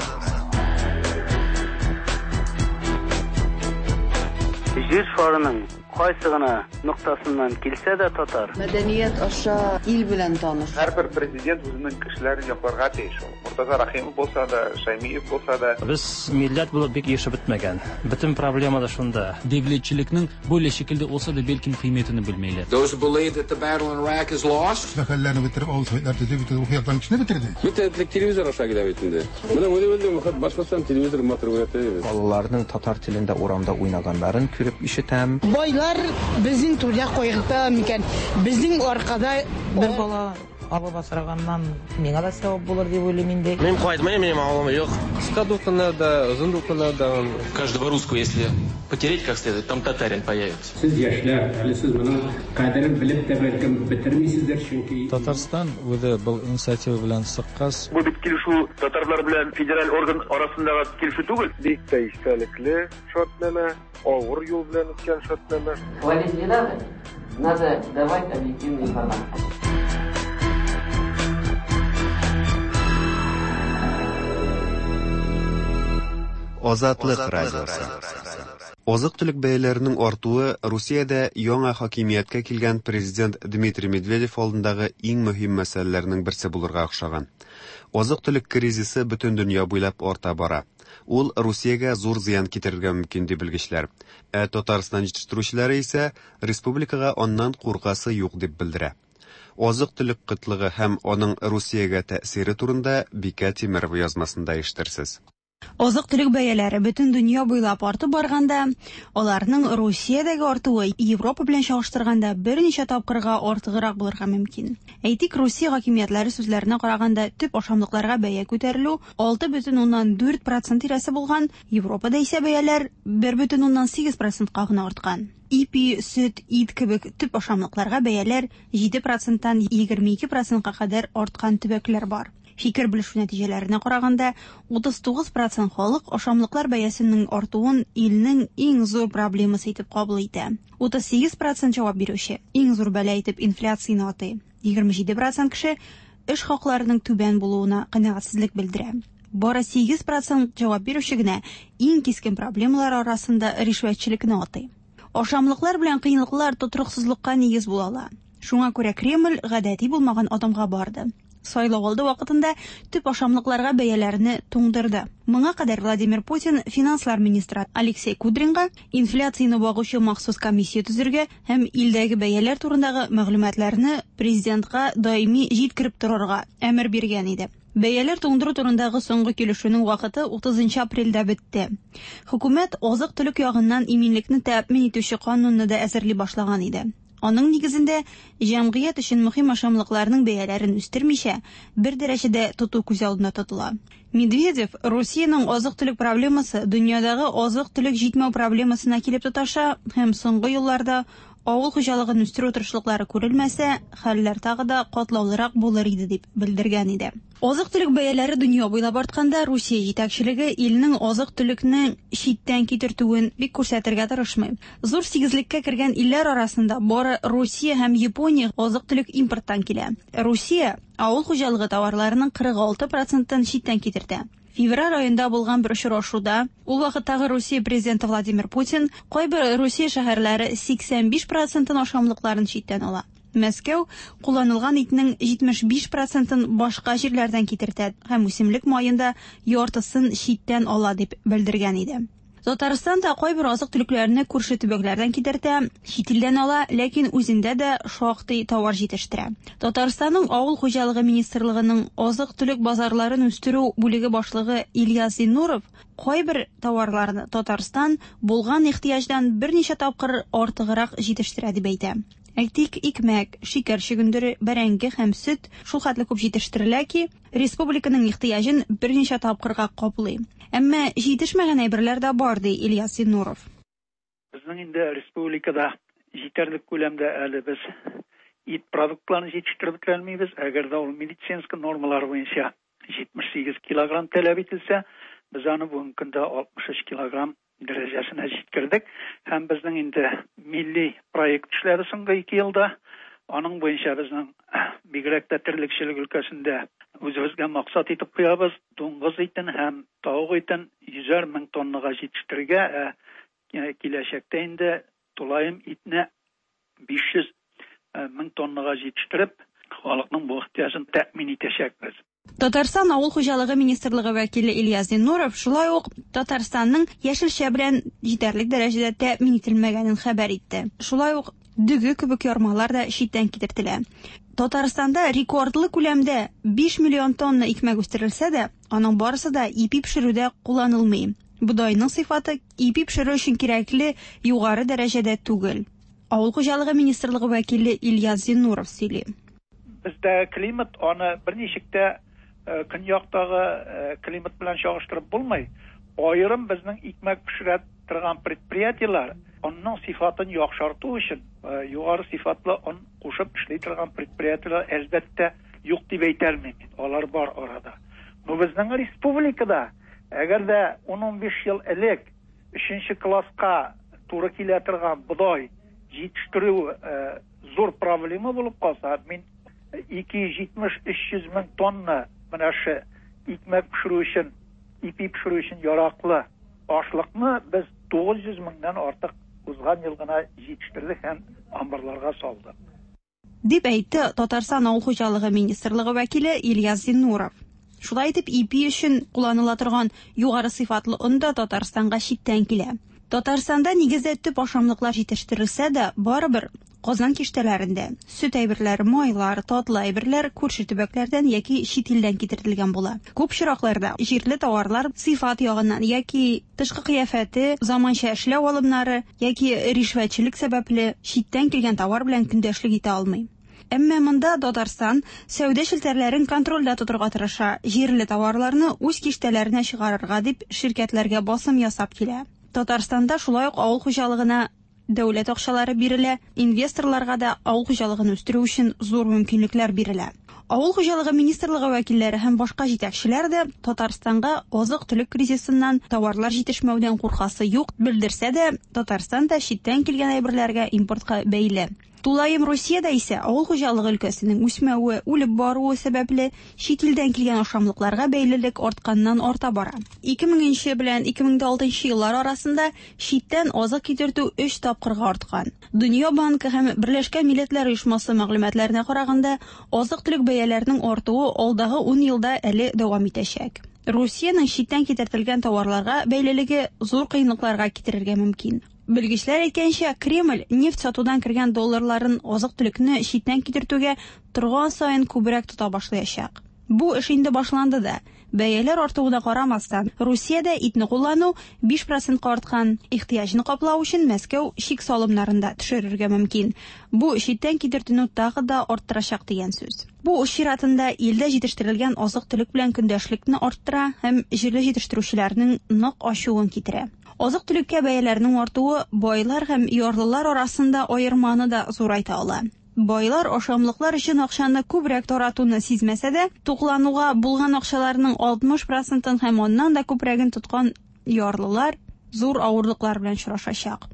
Җир шарының кайсы гына ноктасыннан килсә дә татар. Мәдәният аша ил белән таныш. Һәрбер президент үзенең кешеләрен якларга тиеш ул. Мортаза Рәхимов булса да, Шәймиев булса да. Без милләт булып бик ирешеп бетмәгән. Бөтен проблема да шунда. Devletçilikniñ böyle şekilde olsa da belkim qıymetini bilmeyler. Those who believe that the battle in Iraq is lost. Мәхәлләне бетереп, авыл советлар төзеп, бөтен рухи яктан кешене бетерде. Бөтен телевизор аша килә бит инде. Менә үзе Башкортстан телевизор матур күрәтә. Балаларның татар телендә урамда уйнаганнарын күреп ишетәм. Байлар безнең түрдә кайгырта микән? Безнең аркада бер бала алып асраганнан миңа да сәвап булыр дип уйлыйм инде. Мин кайтмыйм, минем авылым юк. Кыска дулкыннарда, озын дулкыннарда. Каждого русского, если потереть как следует, там татарин появится. Сез яшьләр, әле сез моның кадерен белеп тә бәлкем бетермисездер, чөнки Татарстан үзе был инициатива белән чыккач. Бу бит килешү татарлар белән федераль орган арасындагы килешү түгел. Бик тә истәлекле шартнамә, авыр юл белән үткән шартнамә. Хвалить не надо, надо давать объективную информацию. Азатлык радиосы. Азык-төлек бәяләренең артуы Русиядә яңа хакимияткә килгән президент Дмитрий Медведев алдындагы иң мөһим мәсьәләләрнең берсе булырга охшаган. Азык-төлек кризисы бөтен дөнья буйлап арта бара. Ул Русиягә зур зыян китерергә мөмкин ди белгечләр. Ә Татарстан җитештерүчеләре исә республикага аннан куркасы юк дип белдерә. Азык-төлек кытлыгы һәм аның Русиягә тәэсире турында Бикә Тимерова язмасында ишетерсез. Азык-төлек бәяләре бөтен дөнья буйлап артып барганда, аларның Русиядәге артуы Европа белән чагыштырганда берничә тапкырга артыграк булырга мөмкин. Әйтик, Русия хакимиятләре сүзләренә караганда, төп ашамлыкларга бәя күтәрелү 6,4% тирәсе булган, Европада исә бәяләр 1,8%ка гына арткан. Ипи, сөт, ит кебек төп ашамлыкларга бәяләр 7%тан 22%ка кадәр арткан төбәкләр бар. Фикер белешү нәтиҗәләренә караганда, 39% халык ашамлыклар бәясенең артуын илнең иң зур проблемасы итеп кабул итә. 38% җавап бирүче иң зур бәла итеп инфляцияне атый. 27% кеше эш хакларының түбән булуына канәгатьсезлек белдерә. Бары 8% җавап бирүче генә иң кискен проблемалар арасында ришвәтчелекне атый. Ашамлыклар белән кыенлыклар тотрыксызлыкка нигез була ала. Шуңа күрә Кремль гадәти булмаган адымга барды. Сайлау алды вакытында төп ашамлыкларга бәяләрне туңдырды. Моңа кадәр Владимир Путин финанслар министры Алексей Кудринга инфляцияне багучы махсус комиссия төзергә һәм илдәге бәяләр турындагы мәгълүматларны президентка даими җиткереп торырга әмер биргән иде. Бәяләр туңдыру турындагы соңгы килешүнең вакыты 30 апрельдә бетте. Хөкүмәт азык-төлек ягыннан иминлекне тәэмин итүче канунны да әзерли башлаган иде. Аның нигезендә җәмгыять өчен мөһим ашамлыкларның бәяләрен үстермичә, бер дәрәҗәдә тоту күз алдында тотыла. Медведев Русиянең азык-төлек проблемасы дөньядагы азык-төлек җитмәү проблемасына килеп тоташа һәм соңгы елларда Авыл хуҗалыгын үстерү тырышлыклары күрелмәсә, хәлләр тагы да катлаулырак булыр иде дип белдергән иде. Азык-төлек бәяләре дөнья буйлап артканда, Русия җитәкчелеге илнең азык-төлекне читтән китертүен бик күрсәтергә тырышмый. Зур сигезлеккә кергән илләр арасында бары Русия һәм Япония азык-төлек импорттан килә. Русия авыл хуҗалыгы товарларының 46 процентын читтән китертә. Февраль аенда булган бер очрашуда ул вакыттагы Русия президенты Владимир Путин кайбер Русия шәһәрләре 85 процентын ашамлыкларын читтән ала. Мәскәү кулланылган итнең 75 процентын башка җирләрдән китертә һәм үсемлек маен да яртысын читтән ала дип белдергән иде. Татарстан да кайбер азык-төлекләрне күрше төбәкләрдән китертә, чит илдән ала, ләкин үзендә дә шактый товар җитештерә. Татарстанның Авыл хуҗалыгы министрлыгының азык-төлек базарларын үстерү бүлеге башлыгы Ильяс Зиннуров кайбер товарларны Татарстан булган ихтыяҗдан берничә тапкыр артыграк җитештерә дип әйтә. Әйтик, икмәк, шикәр чөгендере, бәрәңге һәм сөт шул хәтле күп җитештерелә ки, республиканың ихтыяҗын берничә тапкырга каплый. Әмма җитешмәгән әйберләр дә бар, ди Ильяс Зиннуров. Безнең инде республикада җитәрлек күләмдә әле без ит продуктларын җитештереп бетерә алмыйбыз. Әгәр дә ул медицинский нормалар буенча 78 килограмм таләп ителсә, без аны бүгенге көндә 63 килограмм дәрәҗәсенә җиткердек. Һәм безнең инде милли проект эшләде соңгы 2 елда. Аның буенча безнең бигрәк тә терлекчелек өлкәсендә үзебезгә максат итеп куябыз. Дуңгыз итен һәм тавык итен 100 мең тоннага җитештерергә, ә киләчәктә инде тулаем итне 500 мең тоннага җитештереп, халыкның бу ихтыяҗын тәэмин итәчәкбез. Татарстан Авыл хуҗалыгы министрлыгы вәкиле Ильяс Зиннуров шулай ук Татарстанның яшелчә белән җитәрлек дәрәҗәдә тәэмин ителмәгәнен хәбәр итте. Шулай ук дөге кебек ярмалар да читтән китертелә. Татарстанда рекордлы күләмдә 5 миллион тонна икмәк үстерелсә дә, аның барысы да ипи пешерүдә кулланылмый. Бодайның сыйфаты ипи пешерү өчен кирәкле югары дәрәҗәдә түгел. Авыл хуҗалыгы министрлыгы вәкиле Ильяс Зиннуров сөйли. Бездә климат аны берничек тә көньяктагы климат белән чагыштырып булмый. Аерым безнең икмәк пешерә торган предприятиеләр онның сыйфатын яхшырту өчен югары сыйфатлы он кушып эшли торган предприятиеләр әлбәттә юк дип әйтә алмыйм мин. Алар бар арада. Но безнең республикада әгәр дә 10-15 ел элек 3 класска туры килә торган бодай җитештерү зур проблема булып калса, мин 270-300 мең тонна менә шу икмәк пешерү өчен, ипи пешерү өчен яраклы ашлыкны без 900 меңнән артык узган ел гына җитештердек һәм амбарларга салдык. Дип әйтте Татарстан Авыл хуҗалыгы министрлыгы вәкиле Ильяс Зиннуров. Шулай итеп, ипи өчен кулланыла торган югары сыйфатлы он да Татарстанга читтән килә. Татарстанда нигездә төп ашамлыклар җитештерелсә дә, барыбер Казан киштәләрендә сөт әйберләре, майлар, татлы әйберләр күрше төбәкләрдән яки чит илдән китерелгән була. Күп очракларда җирле товарлар сыйфат ягыннан яки тышкы кыяфәте, заманча эшләү алымнары яки ришвәтчелек сәбәпле читтән килгән товар белән көндәшлек итә алмый. Әмма монда Татарстан сәүдә челтәрләрен контрольдә тотырга тырыша, җирле товарларны үз киштәләренә чыгарырга дип ширкәтләргә басым ясап килә. Татарстанда шулай ук авыл хуҗалыгына дәүләт акчалары бирелә, инвесторларга да авыл хуҗалыгын үстерү өчен зур мөмкинлекләр бирелә. Авыл хуҗалыгы министрлыгы вәкилләре һәм башка җитәкчеләр дә Татарстанга азык-төлек кризисыннан товарлар җитешмәүдән куркасы юк белдерсә дә, Татарстан да читтән килгән әйберләргә импортка бәйле. Тулаем Русиядә исә авыл хуҗалыгы өлкәсенең үсмәве, үлеп баруы сәбәпле чит илдән килгән ашамлыкларга бәйлелек артканнан арта бара. 2000 белән 2006 еллар арасында читтән азык китертү 3 тапкырга арткан. Дөнья банкы һәм Берләшкән Милләтләр Оешмасы мәгълүматларына караганда, азык-төлек бәяләренең артуы алдагы 10 елда әле дәвам итәчәк. Русиянең читтән китертелгән товарларга бәйлелеге зур кыенлыкларга китерергә мөмкин. Белгечләр әйткәнчә, Кремль нефть сатудан кергән долларларын азык-төлекне читтән китертүгә торган саен күбрәк тота башлаячак. Бу эш инде башланды да. Бәяләр артуына карамастан, Русиядә итне куллану 5 процентка арткан. Ихтыяҗны каплау өчен Мәскәү чик салымнарын да төшерергә мөмкин. Бу читтән китертүне тагы да арттырачак дигән сүз. Бу үз чиратында илдә җитештерелгән азык-төлек белән көндәшлекне арттыра һәм җирле җитештерүчеләрнең нык ачуын китерә. Азык-төлеккә бәяләрнең артуы байлар һәм ярлылар арасында аерманы да зурайта ала. Байлар ашамлыклар өчен акчаны күбрәк таратуны сизмәсә дә, туклануга булган акчаларның 60 процентын һәм аннан да күбрәген тоткан ярлылар зур авырлыклар белән очрашачак.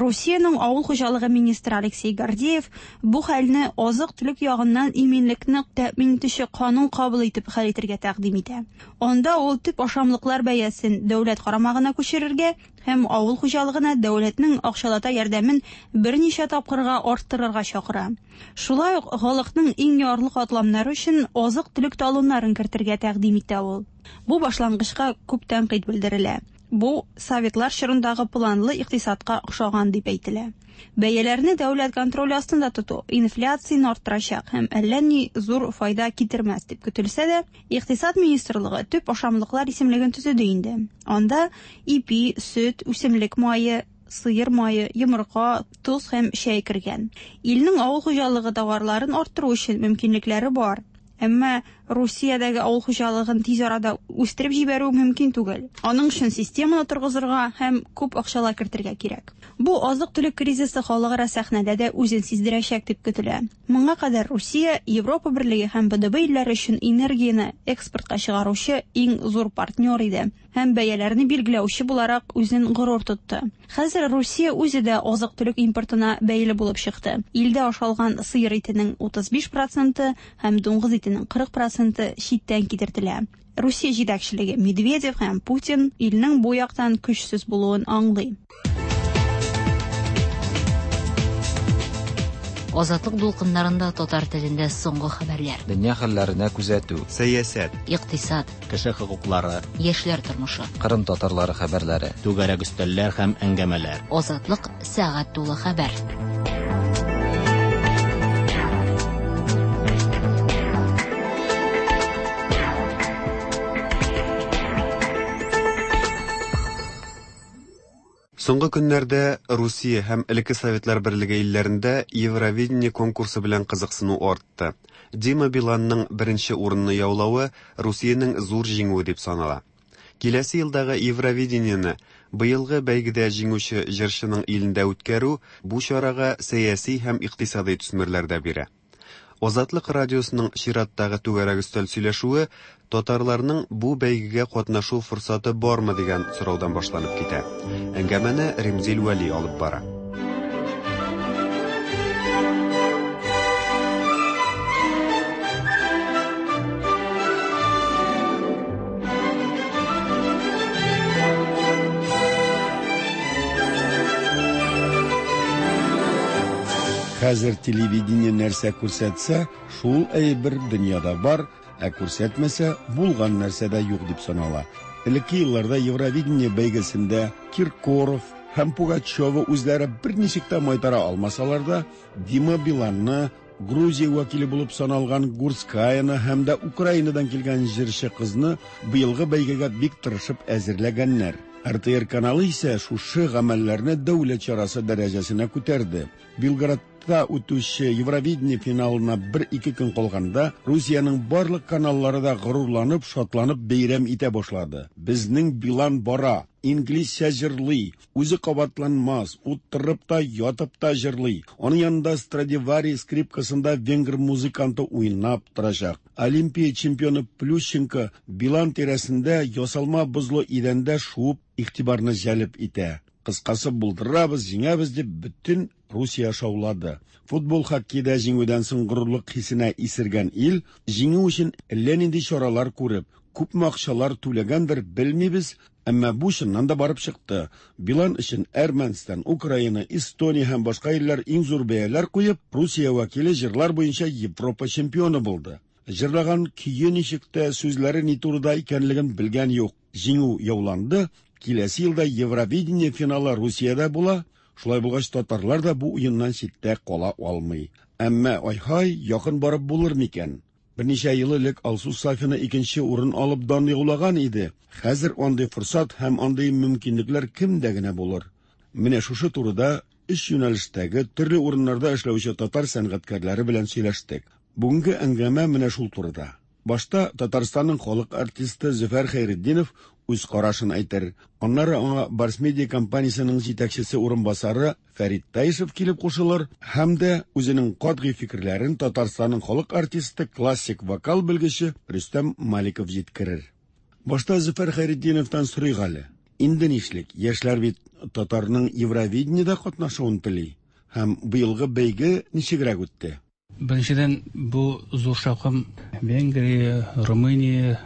Русиянең авыл хуҗалыгы министры Алексей Гордеев бу хәлне азык-төлек ягыннан иминлекне тәэмин итүче канун кабул итеп хәл итергә тәкъдим итә. Анда ул төп ашамлыклар бәясен дәүләт карамагына күчерергә һәм авыл хуҗалыгына дәүләтнең акчалата ярдәмен берничә тапкырга арттырырга чакыра. Шулай ук халыкның иң ярлы катламнары өчен азык-төлек талоннарын кертергә тәкъдим итә ул. Бу башлангычка күп тәнкыйть белдерелә. Бу советлар чорындагы планлы икътисадка охшаган дип әйтелә. Бәяләрне дәүләт контроле астында тоту инфляцияне арттырачак һәм әллә ни зур файда китермәс дип көтелсә дә, Икътисад министрлыгы төп ашамлыклар исемлеген төзеде инде. Анда ипи, сөт, үсемлек мае, сыер мае, йомырка, тоз һәм чәй кергән. Илнең авыл хуҗалыгы товарларын арттыру өчен мөмкинлекләре бар. Әмма Русиядәге авыл хуҗалыгын тиз арада үстереп җибәрү мөмкин түгел. Аның өчен системаны торгызырга һәм күп акчалар кертергә кирәк. Бу азык-төлек кризисы халыкара сәхнәдә дә үзен сиздерәчәк дип көтелә. Моңа кадәр Русия Европа Берлеге һәм БДБ илләре өчен энергияне экспортка чыгаручы иң зур партнер иде һәм бәяләрне билгеләүче буларак үзен горур тотты. Хәзер Русия үзе дә азык-төлек импортына бәйле булып чыкты. Илдә ашалган сыер итенең 35 проценты һәм дуңгыз итенең 40 проценты читтән китертелә. Русия җитәкчелеге Медведев һәм Путин илнең бу яктан көчсез булуын аңлый. Азатлык дулкыннарында татар телендә соңгы хәбәрләр. Дөнья хәлләренә күзәтү. Сәясәт. Икътисад. Кеше хокуклары. Яшьләр тормышы. Кырым татарлары хәбәрләре. Түгәрәк өстәлләр һәм әңгәмәләр. Азатлык сәгать тулы хәбәр. Соңгы көннәрдә Русия һәм элекке Советлар Берлеге илләрендә Евровидение конкурсы белән кызыксыну артты. Дима Биланның беренче урынны яулавы Русиянең зур җиңүе дип санала. Киләсе елдагы Евровидениене быелгы бәйгедә җиңүче җырчының илендә үткәрү бу чарага сәяси һәм икътисадый төсмерләр дә бирә. Азатлык радиосының чираттагы түгәрәк өстәл сөйләшүе татарларның бу бәйгегә катнашу форсаты бармы дигән сораудан башланып китә. Әңгәмәне Римзил Вәли алып бара. Хәзер телевидение нәрсә күрсәтсә, шул әйбер дөньяда бар, ә күрсәтмәсә, булган нәрсә дә юк дип санала. Элекке елларда Евровидение бәйгесендә Киркоров һәм Пугачева үзләре берничек тә майтара алмасалар да, Дима Биланны, Грузия вәкиле булып саналган Гурцкаяны һәм дә Украинадан килгән җырчы кызны быелгы бәйгегә бик тырышып әзерләгәннәр. РТР каналы исә шушы гамәлләрне дәүләт чарасы дәрәҗәсенә күтәрде. Белградта үтүче Евровидение финалына бер-ике көн калганда, Русиянең барлык каналлары да горурланып, шатланып бәйрәм итә башлады. Безнең Билан бара, инглизчә җырлый, үзе кабатланмас, утырып та, ятып та җырлый. Аның янында Страдивари скрипкасында венгр музыканты уйнап торачак. Олимпия чемпионы Плющенко Билан тирәсендә ясалма бозлы идәндә шуып игътибарны җәлеп итә. Кыскасы, булдырабыз, җиңәбез дип бөтен Русия шаулады. Футбол, хоккейда җиңүдән соң горурлык хисенә исергән ил җиңү өчен әллә нинди чаралар күреп, күпме акчалар түләгәндер, белмибез, әмма бу чыннан да барып чыкты. Билан өчен Әрмәнстан, Украина, Эстония һәм башка илләр иң зур бәяләр куеп, Русия вәкиле җырлар буенча Европа чемпионы булды. Җырлаган көе ничек тә, сүзләре ни турыда икәнлеген белгән юк. Җиңү яуланды, киләсе елда Евровидение финалы Русиядә була, шулай булгач татарлар да бу уеннан читтә кала алмый. Әмма, ай-һай, якын барып булыр микән? Берничә ел элек Алсу Сафина икенче урын алып дан яулаган иде. Хәзер андый форсат һәм андый мөмкинлекләр кемдә генә булыр? Менә шушы турыда өч юнәлештәге төрле урыннарда эшләүче татар сәнгатькәрләре белән сөйләштек. Бүгенге әңгәмә менә шул турыда. Башта Татарстанның халык артисты Зөфәр Хәйретдинов үз карашын әйтер. Аннары аңа Барс Медиа компаниясенең җитәкчесе урынбасары Фәрит Таишев килеп кушылыр һәм дә үзенең катгый фикерләрен Татарстанның халык артисты, классик вокал белгече Рөстәм Маликов җиткерер. Башта Зөфәр Хәйретдиновтан сорыйк әле. Инде нишлик? Яшьләр бит татарның Евровидениедә катнашуын тели. Һәм быелгы бәйге ничегрәк үтте? Беренчедән, бу зур шаукым Венгрия, Румыния,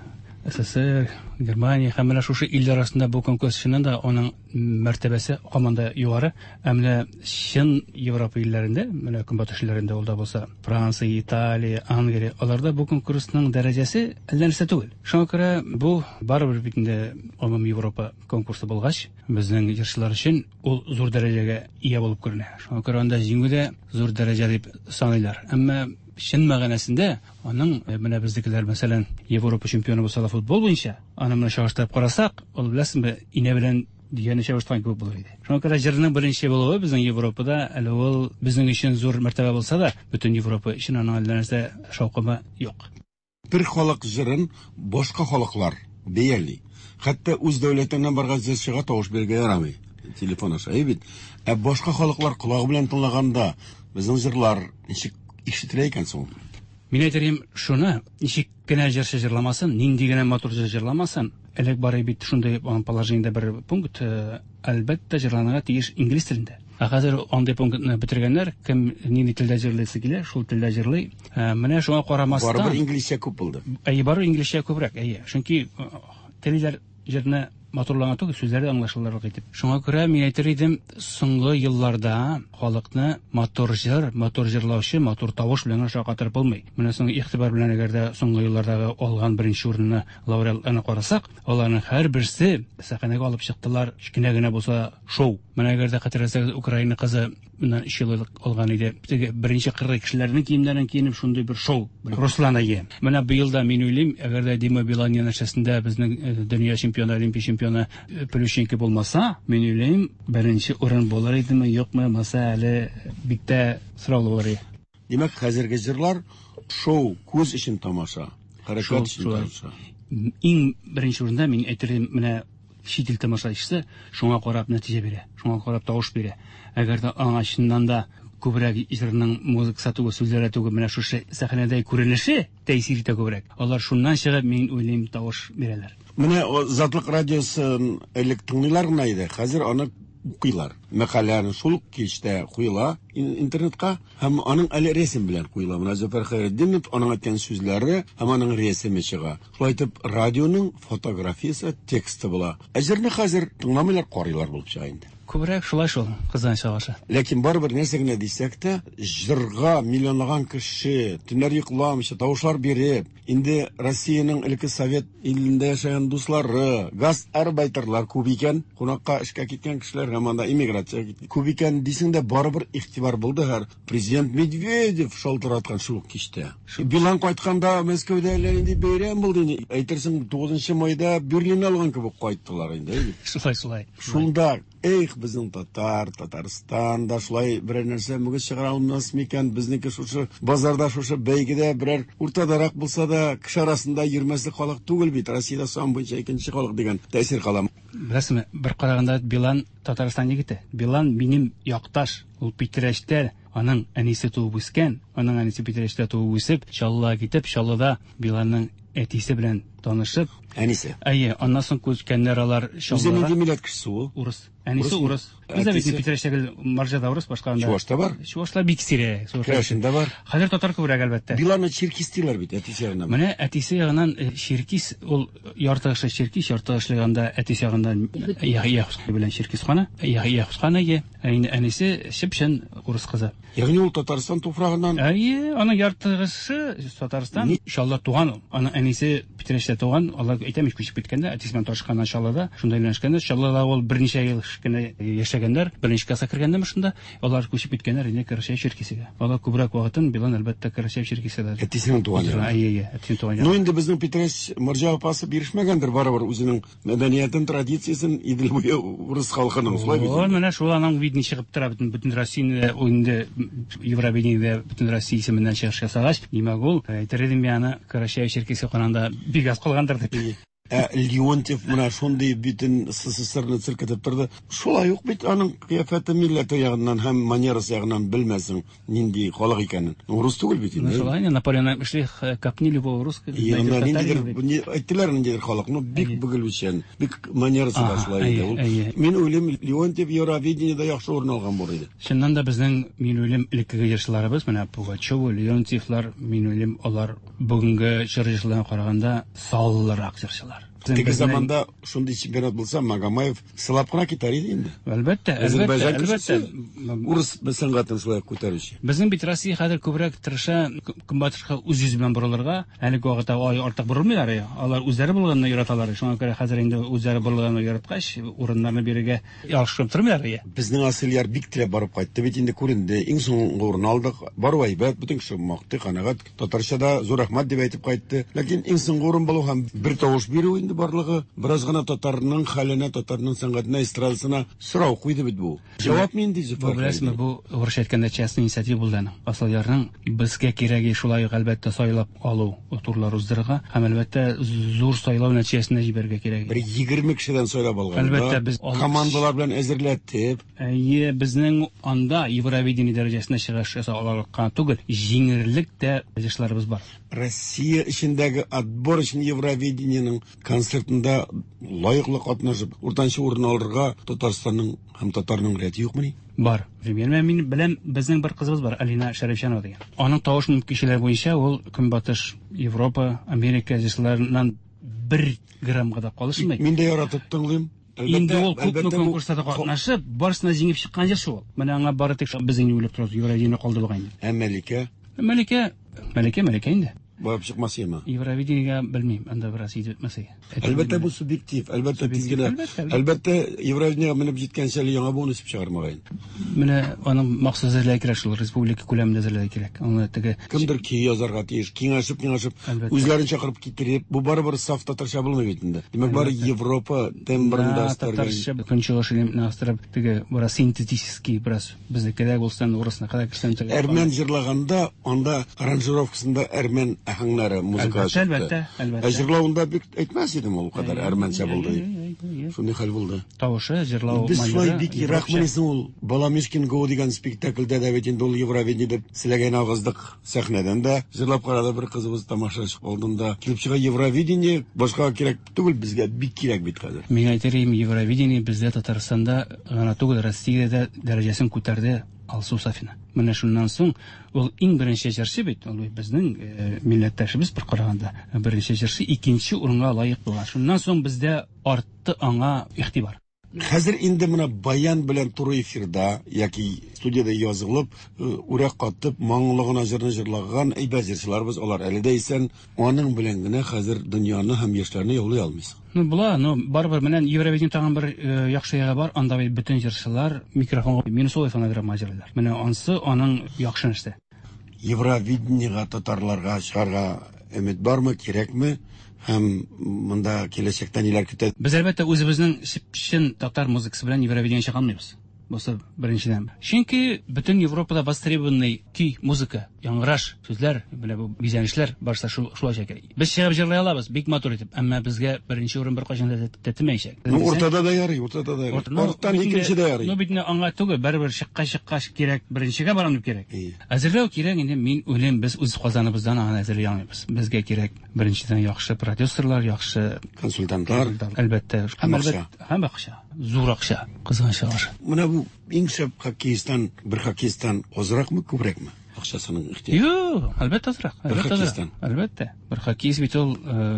СССР, Германия һәм менә шушы илләр арасында бу конкурс чыннан да аның мәртәбәсе һаман да югары. Ә менә чын Европа илләрендә, менә Көнбатыш илләрендә ул да булса, Франция, Италия, Англия, аларда бу конкурсның дәрәҗәсе әллә нәрсә түгел. Шуңа күрә бу барыбер бит инде гомум Европа конкурсы булгач, безнең җырчылар өчен ул зур дәрәҗәгә ия булып күренә. Шуңа күрә анда җиңү дә зур дәрәҗә дип саныйлар. Әмма чын мәгънәсендә аның э, менә безнекеләр, мәсәлән, Европа чемпионы булса да футбол буенча, аны менә чагыштырып карасак, ул беләсеңме, инә белән дөяне чагыштырган кебек булыр иде. Шуңа күрә җырның беренче булуы безнең Европада әле ул безнең өчен зур мәртәбә булса да, бөтен Европа өчен аның әллә нәрсә шаукымы юк. Бер халык җырын башка халыклар бәяли. Хәтта үз дәүләтеңнән барган җырчыга тавыш бирергә ярамый. Телефон аша, әйе бит. Ә башка халыклар колагы белән тыңлаганда безнең җырлар ничек ишетелә икән соң? Мин әйтер идем шуны, ничек кенә җырчы җырламасын, нинди генә матур җыр җырламасын, элек бар бит шундый положениедә бер пункт, э, әлбәттә җырланырга тиеш инглиз телендә. Ә хәзер андый пунктны бетергәннәр, кем нинди телдә җырлыйсы килә, шул телдә җырлый. Ә, менә шуңа карамастан. Барыбер инглизчә күп булды. Әйе, барыбер инглизчә күбрәк, әйе. Чөнки э, телиләр җырны матурлана түгел, сүзләре аңлашылырлык итеп. Шуңа күрә мин әйтер идем, соңгы елларда халыкны матур җыр, матур җырлаучы, матур тавыш белән генә шаккатырып булмый. Менә соң игътибар белән әгәр дә соңгы еллардагы алган беренче урынны лауреатларны карасак, аларның һәрберсе сәхнәгә алып чыктылар, кечкенә генә булса шоу. Менә әгәр дә хәтерләсәгез, Украина кызы моннан 3 ел элек алган иде. Теге беренче кыргый кешеләрнең киемнәрен киенеп шундый бер шоу. Руслан әйе. Менә быел да мин уйлыйм, әгәр дә Дима Билан янәшәсендә безнең э, дөнья чемпионы, олимпия чемпионы э, Плющенко булмаса, мин уйлыйм, беренче урын булыр идеме, юкмы, маса әле бик тә сораулы булыр иде. Димәк, хәзерге җырлар шоу, күз өчен тамаша, хәрәкәт өчен тамаша. Иң беренче урында мин әйтер идем, менә чит ил тамашачысы шуңа карап нәтиҗә бирә, шуңа карап тавыш бирә. Әгәр дә аңа чыннан да күбрәк җырның музыкасы түгел, сүзләре түгел, менә шушы сәхнәдә күренеше тәэсир итә күбрәк. Алар шуннан чыгып, мин уйлыйм, тавыш бирәләр. Менә Затлык радиосын элек тыңлыйлар гына иде, хәзер аны укыйлар. Мәкаләне шул ук кичтә куела интернетка һәм аның әле рәсем белән куела. Менә Зөфәр Хәйретдинов, аның әйткән сүзләре һәм аның рәсеме чыга. Шулай итеп, радионың фотографиясе, тексты була. Ә җырны хәзер тыңламыйлар, карыйлар булып чыга инде. Күбрәк шулай шул, кызганычка каршы. Ләкин барыбер нәрсә генә дисәк тә, җырга миллионлаган кеше төннәр йокламыйча тавышлар биреп, инде Россиянең элекке совет илендә яшәгән дуслары, гастарбайтерлар күп икән, кунакка эшкә киткән кешеләр һәм анда иммиграциягә күп икән дисең дә, барыбер игътибар булды һәр Президент Медведев шалтыраткан шул ук кичтә. Билан кайтканда Мәскәүдә әллә нинди бәйрәм булды инде. Әйтерсең, 9 майда Берлин алган кебек кайттылар инде. Шулай, шулай. Шунда, эх, безнең татар, Татарстан да шулай берәр нәрсә мөгез чыгара алмас микән? Безнеке шушы базарда, шушы бәйгедә берәр уртадарак булса да, кеше арасында йөрмәслек халык түгел бит. Россиядә сан буенча икенче халык дигән тәэсир кала. Беләсезме, бер караганда Билан Татарстан егете. Билан минем якташ. Ул Питрәчтә аның әнисе туып үскән. Аның әнисе Питрәчтә туып үсеп, Чаллыга китеп, Чаллыда Биланның әтисе белән танышып. Әнисе. Әйе, аннан соң күчкәннәр алар Чаллыга. Үзе нинди милләт кешесе ул? Урыс. Әнисе урыс. Бездә бит Питрәчтә гел марҗада урыс, башка анда. Чувашта бар? Чувашлар бик сирәк. Керәшендә бар. Хәзер татар күбрәк, әлбәттә. Биланны черкис диләр бит, әтисе ягыннан. Менә әтисе ягыннан э, черкис, ул ярты кеше черкис, ярты кеше анда әтисе ягыннан Яхъя белән Черкис ханы, Яхъя ханы, ә инде әнисе чып-чын урыс кызы. Ягъни ул Татарстан туфрагыннан? Әйе, аның ярты кеше Татарстан, Чаллы туган ул. Аның әнисе Питрәчтә Питрәчтә туган, алар әйтәм ич, күчеп киткәндә, әтисе белән танышканнан Чаллыда, шунда өйләнешкәннәр. Чаллыда ул берничә ел кенә яшәгәннәр, беренче класска кергәндәме шунда, алар күчеп киткәннәр инде Карачаево-Черкесиягә. Алар күбрәк вакытын Билан, әлбәттә, Карачаево-Черкесиядә. Әтисенең туган ягы. Әйе, әйе, әтисенең туган ягы. Ну инде безнең Питрәч морҗа апасы бирешмәгәндер барыбер үзенең мәдәниятен, традициясен Идел буе урыс халкының, шулай бит? Ул менә шул аның видни чыгып тора бөтен бөтен Россияне ул инде Евровидениедә бөтен Россия исеменнән чыгыш ясагач, димәк ул, әйтер идем мин аны Карачаево-Черкесия караганда бик аз калгандыр дип. Ә Леонтьев менә шундый бөтен СССРны селкетеп торды. Шулай ук бит аның кыяфәте милләте ягыннан һәм манерасы ягыннан белмәсең нинди халык икәнен. Урыс түгел бит инде. Шулай инде Наполеон әйтмешли, копни любого русского. Янында ниндидер, әйттеләр ниндидер халык, ну бик бөгелүчән, бик манерасы да шулай иде ул. Мин уйлыйм, Леонтьев Евровидениедә яхшы урын алган булыр иде. Чыннан да безнең, мин уйлыйм, элеккеге җырчыларыбыз, менә Пугачева, Леонтьевлар, мин уйлыйм, алар бүгенге чор җырчыларына караганда саллырак җырчылар. Теге заманда шундый чемпионат булса, Магомаев сылап кына китәр иде инде. Әлбәттә, әлбәттә, әлбәттә. Урыс сәнгатен шулай күтәрүче. Безнең бит Россия хәзер күбрәк тырыша көнбатышка үз йөзе белән борылырга. Әлеге вакытта ай артык борылмыйлар. Алар үзләре булганны яраталар. Шуңа күрә хәзер инде үзләре борылганны яраткач, урыннарны бирергә Ялгышып тормыйлар ия. Безнең Асылъяр бик теләп барып кайтты бит инде, күренде. Иң соңгы урын алдык. Бару әйбәт, бөтен кеше мактый, канәгать. Татарча да зур рәхмәт дип әйтеп кайтты. Ләкин иң соңгы урын булу һәм бер тавыш бирү инде барлыгы бераз гына татарның хәленә, татарның сәнгатенә, эстрадасына сорау куйды бит бу. Җавап нинди, Зөфәр? Бу беләсезме, бу урысча әйткәндә частный инициатива булды аның. Асылъярның безгә кирәге шулай ук әлбәттә сайлап алу турлар уздырырга һәм әлбәттә зур сайлау нәтиҗәсендә җибәрергә кирәк. Бер 20 кешедән сайлап алганда, әлбәттә, без командалар белән әзерләтеп. Әйе, безнең анда Евровидение дәрәҗәсенә чыгыш ясау аларлык кына түгел, җиңерлек тә җырчыларыбыз бар. Россия эчендәге отбор өчен Евровидениенең концертында лаеклы катнашып, уртанчы урын алырга Татарстанның һәм татарның рәте юкмыни? Бар. Менә мин беләм, безнең бер кызыбыз бар, Алина Шәрифҗанова дигән. Аның тавыш мөмкинчелеге буенча ул Көнбатыш Европа, Америка җырчыларыннан бер граммга да калышмый. Мин дә яратып тыңлыйм. Инде ул күпме конкурсларда катнашып, барысына җиңеп чыккан җырчы ул. Менә аңа бары тик без инде уйлап торабыз, Евровидение калды бугай инде. Ә Мәликә? Мәликә, Мәликә, Мәликә инде. Барып чыкмас яме. Евровидениегә белмим, анда бераз итеп бетмәс. Әлбәттә, бу субъектив, әлбәттә, тиз генә. Әлбәттә, Евровидениегә менеп җиткәнче әле яңа буын үсеп чыгар мөгаен. Менә аның махсус әзерләү кирәк шул, республика күләмендә әзерләү кирәк. Аны теге кемдер көй язарга тиеш, киңәшеп, киңәшеп, үзләрен чакырып китереп, бу барыбер саф татарча булмый бит инде. Димәк, бары Европа тембрында татарча көнчыгыш элементны астырып, теге бераз синтетический, бераз Безнеке дә булсын, урысныкы да керсен. Әрмән җырлаганда, анда аранжировкасында әрмән аһәңнәре, музыка чыкты. Әлбәттә, әлбәттә. Ә җырлавында бик әйтмәс идем ул кадәр әрмәнчә булды дип. Шундый хәл булды. Тавышы, җырлау Без шулай бик еракмыни соң ул? Баламишкин Го дигән спектакльдә дә бит инде ул Евровидение дип селәгәйне агыздык сәхнәдән дә. Җырлап карады бер кызыбыз тамашачы алдында. Килеп чыга Евровидение, башкага кирәк түгел, безгә бик кирәк бит хәзер. Мин әйтер идем, Евровидение бездә Татарстанда гына түгел, Россиядә дә дәрәҗәсен күтәрде Алсу Сафина. Менә шуннан соң ул иң беренче җырчы бит, ул бит безнең э, милләттәшебез бер караганда, беренче җырчы икенче урынга лаек була. Шуннан соң бездә артты аңа игътибар. Хәзер инде менә баян белән туры эфирда яки студиядә язылып, э, үрә катып, моңлы гына җырны җырлаган әйбәт җырчыларыбыз, алар әле дә исән. Аның белән генә хәзер дөньяны һәм яшьләрне яулый алмыйсың. Ну, була, но барыбер менә Евровидение тагын бер э, яхшы ягы бар, анда бит бөтен җырчылар микрофонга минусовый фонограмма җырлыйлар. Менә ансы аның яхшы нәрсә. Евровидениега татарларга чыгарга өмет бармы, кирәкме? Һәм монда киләчәктә ниләр көтә? Без, әлбәттә, үзебезнең чып-чын татар музыкасы белән Евровидениегә чыга алмыйбыз. Бусы беренчедән. Чөнки бөтен Европада востребованный көй, музыка, яңгыраш, сүзләр, менә бу бизәнешләр барысы шул шулай кирәк. Без чыгып җырлый алабыз, бик матур итеп, әмма безгә беренче урын беркайчан да тәтемәячәк. Ну, уртада да ярый, уртада да ярый. Арттан икенче дә ярый. Ну, бит аңа түгел, барыбер чыккач чыккач кирәк, беренчегә барам дип кирәк. Әзерләү кирәк инде, мин уйлыйм, без үз казаныбыздан аны әзерли алмыйбыз. Безгә кирәк беренчедән яхшы продюсерлар, яхшы консультантлар, әлбәттә, һәм акча. Һәм акча. Зур акча, кызганычка каршы. Менә бу иң шәп хоккеисттан бер хоккеисттан азракмы, күбрәкме? Акчасының ихтыяҗы. Юк, әлбәттә азрак. Бер Әлбәттә азрак. хоккеисттан. Әлбәттә. Бер хоккеист бит ул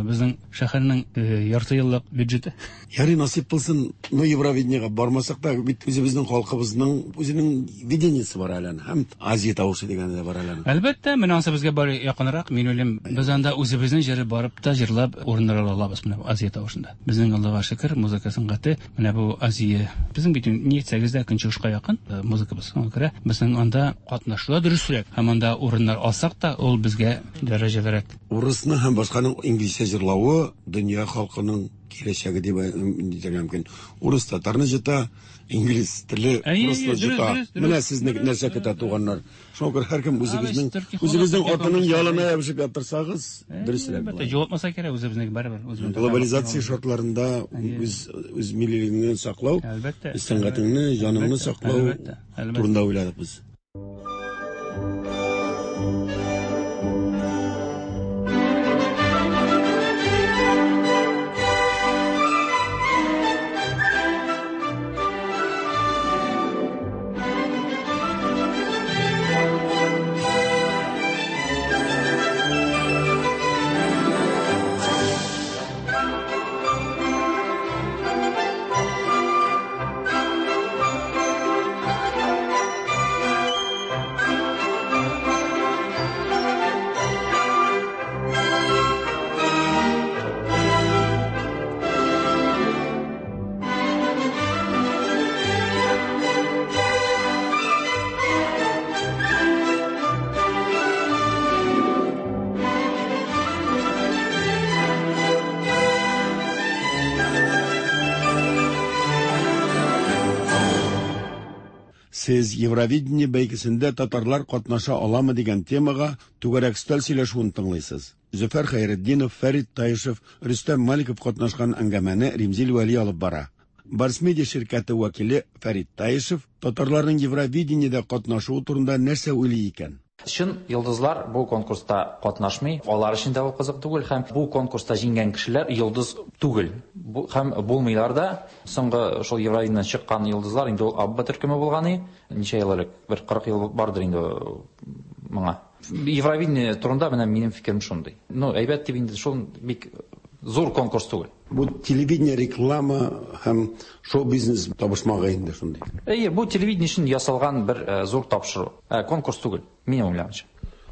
безнең шәһәрнең ярты еллык бюджеты. Ярый, насыйп булсын, ну Евровидениега бармасак та, бит үзебезнең халкыбызның үзенең видениесе бар әле аның. Һәм Азия тавышы дигәне дә бар әле аның. Әлбәттә, менә ансы безгә бар якынрак. Мин уйлыйм, без анда үзебезнең җыры барып та җырлап урыннар ала алабыз менә бу Азия тавышында. Безнең Аллага шөкер, музыка сәнгате менә бу Азия. Безнең бит ни әйтсәгез дә көнчыгышка якын музыкабыз. Шуңа күрә безнең анда катнашу да дөресрәк һәм анда урыннар алсак та, ул безгә дәрәҗәлерәк. Урысны һәм башканың инглизчә җырлавы дөнья халкының киләчәге дип әйтергә мөмкин. Урыс татарны җыта, инглиз теле Әйе, урысны әйе, дөрес, җыта. дөрес, дөрес. Менә сезне нәрсә көтә, туганнар. Шуңа күрә һәркем үзегезнең Абыш, төрки халык үзегезнең төрки атының халык. ялына ябышып яттырсагыз, дөресрәк Әлбәттә, була. югалтмаса кирәк үзебезнең барыбер. Үзебезнең Глобализация шартларында үз үз миллилегеңне саклау, Әлбәттә. үз сәнгатеңне, җаныңны Әлбәттә, саклау әлбәттә, әлбәттә. турында уйладык без. Сез Евровидение бәйгесендә татарлар катнаша аламы дигән темага түгәрәк өстәл сөйләшүен тыңлыйсыз. Зөфәр Хәйретдинов, Фәрит Таишев, Рөстәм Маликов катнашкан әңгәмәне Римзил Вәли алып бара. Барс Медиа ширкәте вәкиле Фәрит Таишев татарларның Евровидениедә катнашуы турында нәрсә уйлый икән? Чын йолдызлар бу конкурста катнашмый, алар өчен дә ул кызык түгел һәм бу конкурста җиңгән кешеләр йолдыз түгел. Бу, һәм булмыйлар да. Соңгы шул Евровидениедән чыккан йолдызлар инде ул Абба төркеме булган и, ничә ел элек, бер 40 ел бардыр инде моңа. Евровидение турында менә минем фикерем шундый. Ну, әйбәт дип инде шул бик зур конкурс түгел. Бу телевидение, реклама һәм шоу-бизнес табышмагы инде шундый. Әйе, бу телевидение өчен ясалган бер зур тапшыру. Конкурс түгел, минем уйлавымча.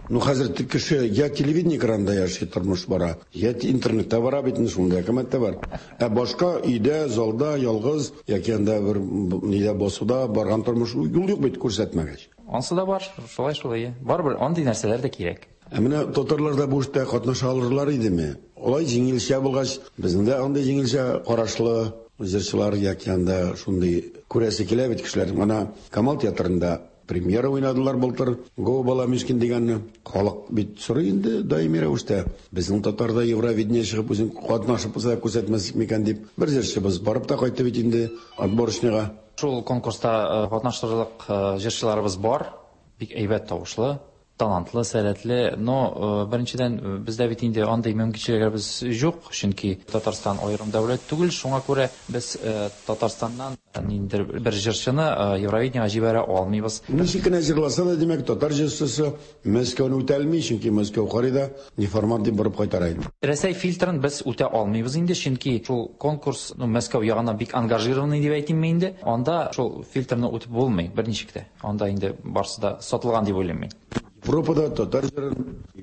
Ну, хәзер кеше я телевидение экранында яши, тормыш бара, я интернетта бара бит инде, шундый әкәмәт тә бар. Ә башка өйдә, залда ялгыз яки анда бер нидә басуда барган тормыш юл юк бит күрсәтмәгәч. Ансы да бар, шулай шулай. Әйе. Барыбер андый нәрсәләр дә кирәк. Ә менә татарлар да бу эштә катнаша алырлар идеме? Алай җиңелчә булгач, безнең дә андый җиңелчә карашлы җырчылар яки анда шундый күрәсе килә бит кешеләр. Менә Камал театрында премьера уйнадылар былтыр, Го Баламишкин дигәнне. Халык бит сорый инде даими рәвештә. Безнең татарда Евровидение чыгып үзен катнашып булса күрсәтмәс микән дип. Бер җырчыбыз барып та кайтты бит инде отборочныйга. Шул конкурста катнаштырырлык җырчыларыбыз бар, бик әйбәт тавышлы, талантлы, сәләтле, но беренчедән бездә бит инде андый мөмкинчелекләребез юк, чөнки Татарстан аерым дәүләт түгел, шуңа күрә без Татарстаннан ниндидер бер җырчыны Евровидениега җибәрә алмыйбыз. Ничек кенә җырласа да, димәк, татар җырчысы Мәскәүне үтә алмый, чөнки Мәскәү карый да неформат дип борып кайтара инде. Рәсәй фильтрын без үтә алмыйбыз инде, чөнки шул конкурс, ну, Мәскәү ягыннан бик ангажированный дип әйтимме инде, анда шул фильтрны үтеп булмый берничек тә. Анда инде барсы да сатылган дип уйлыйм мин. Европада татар җырын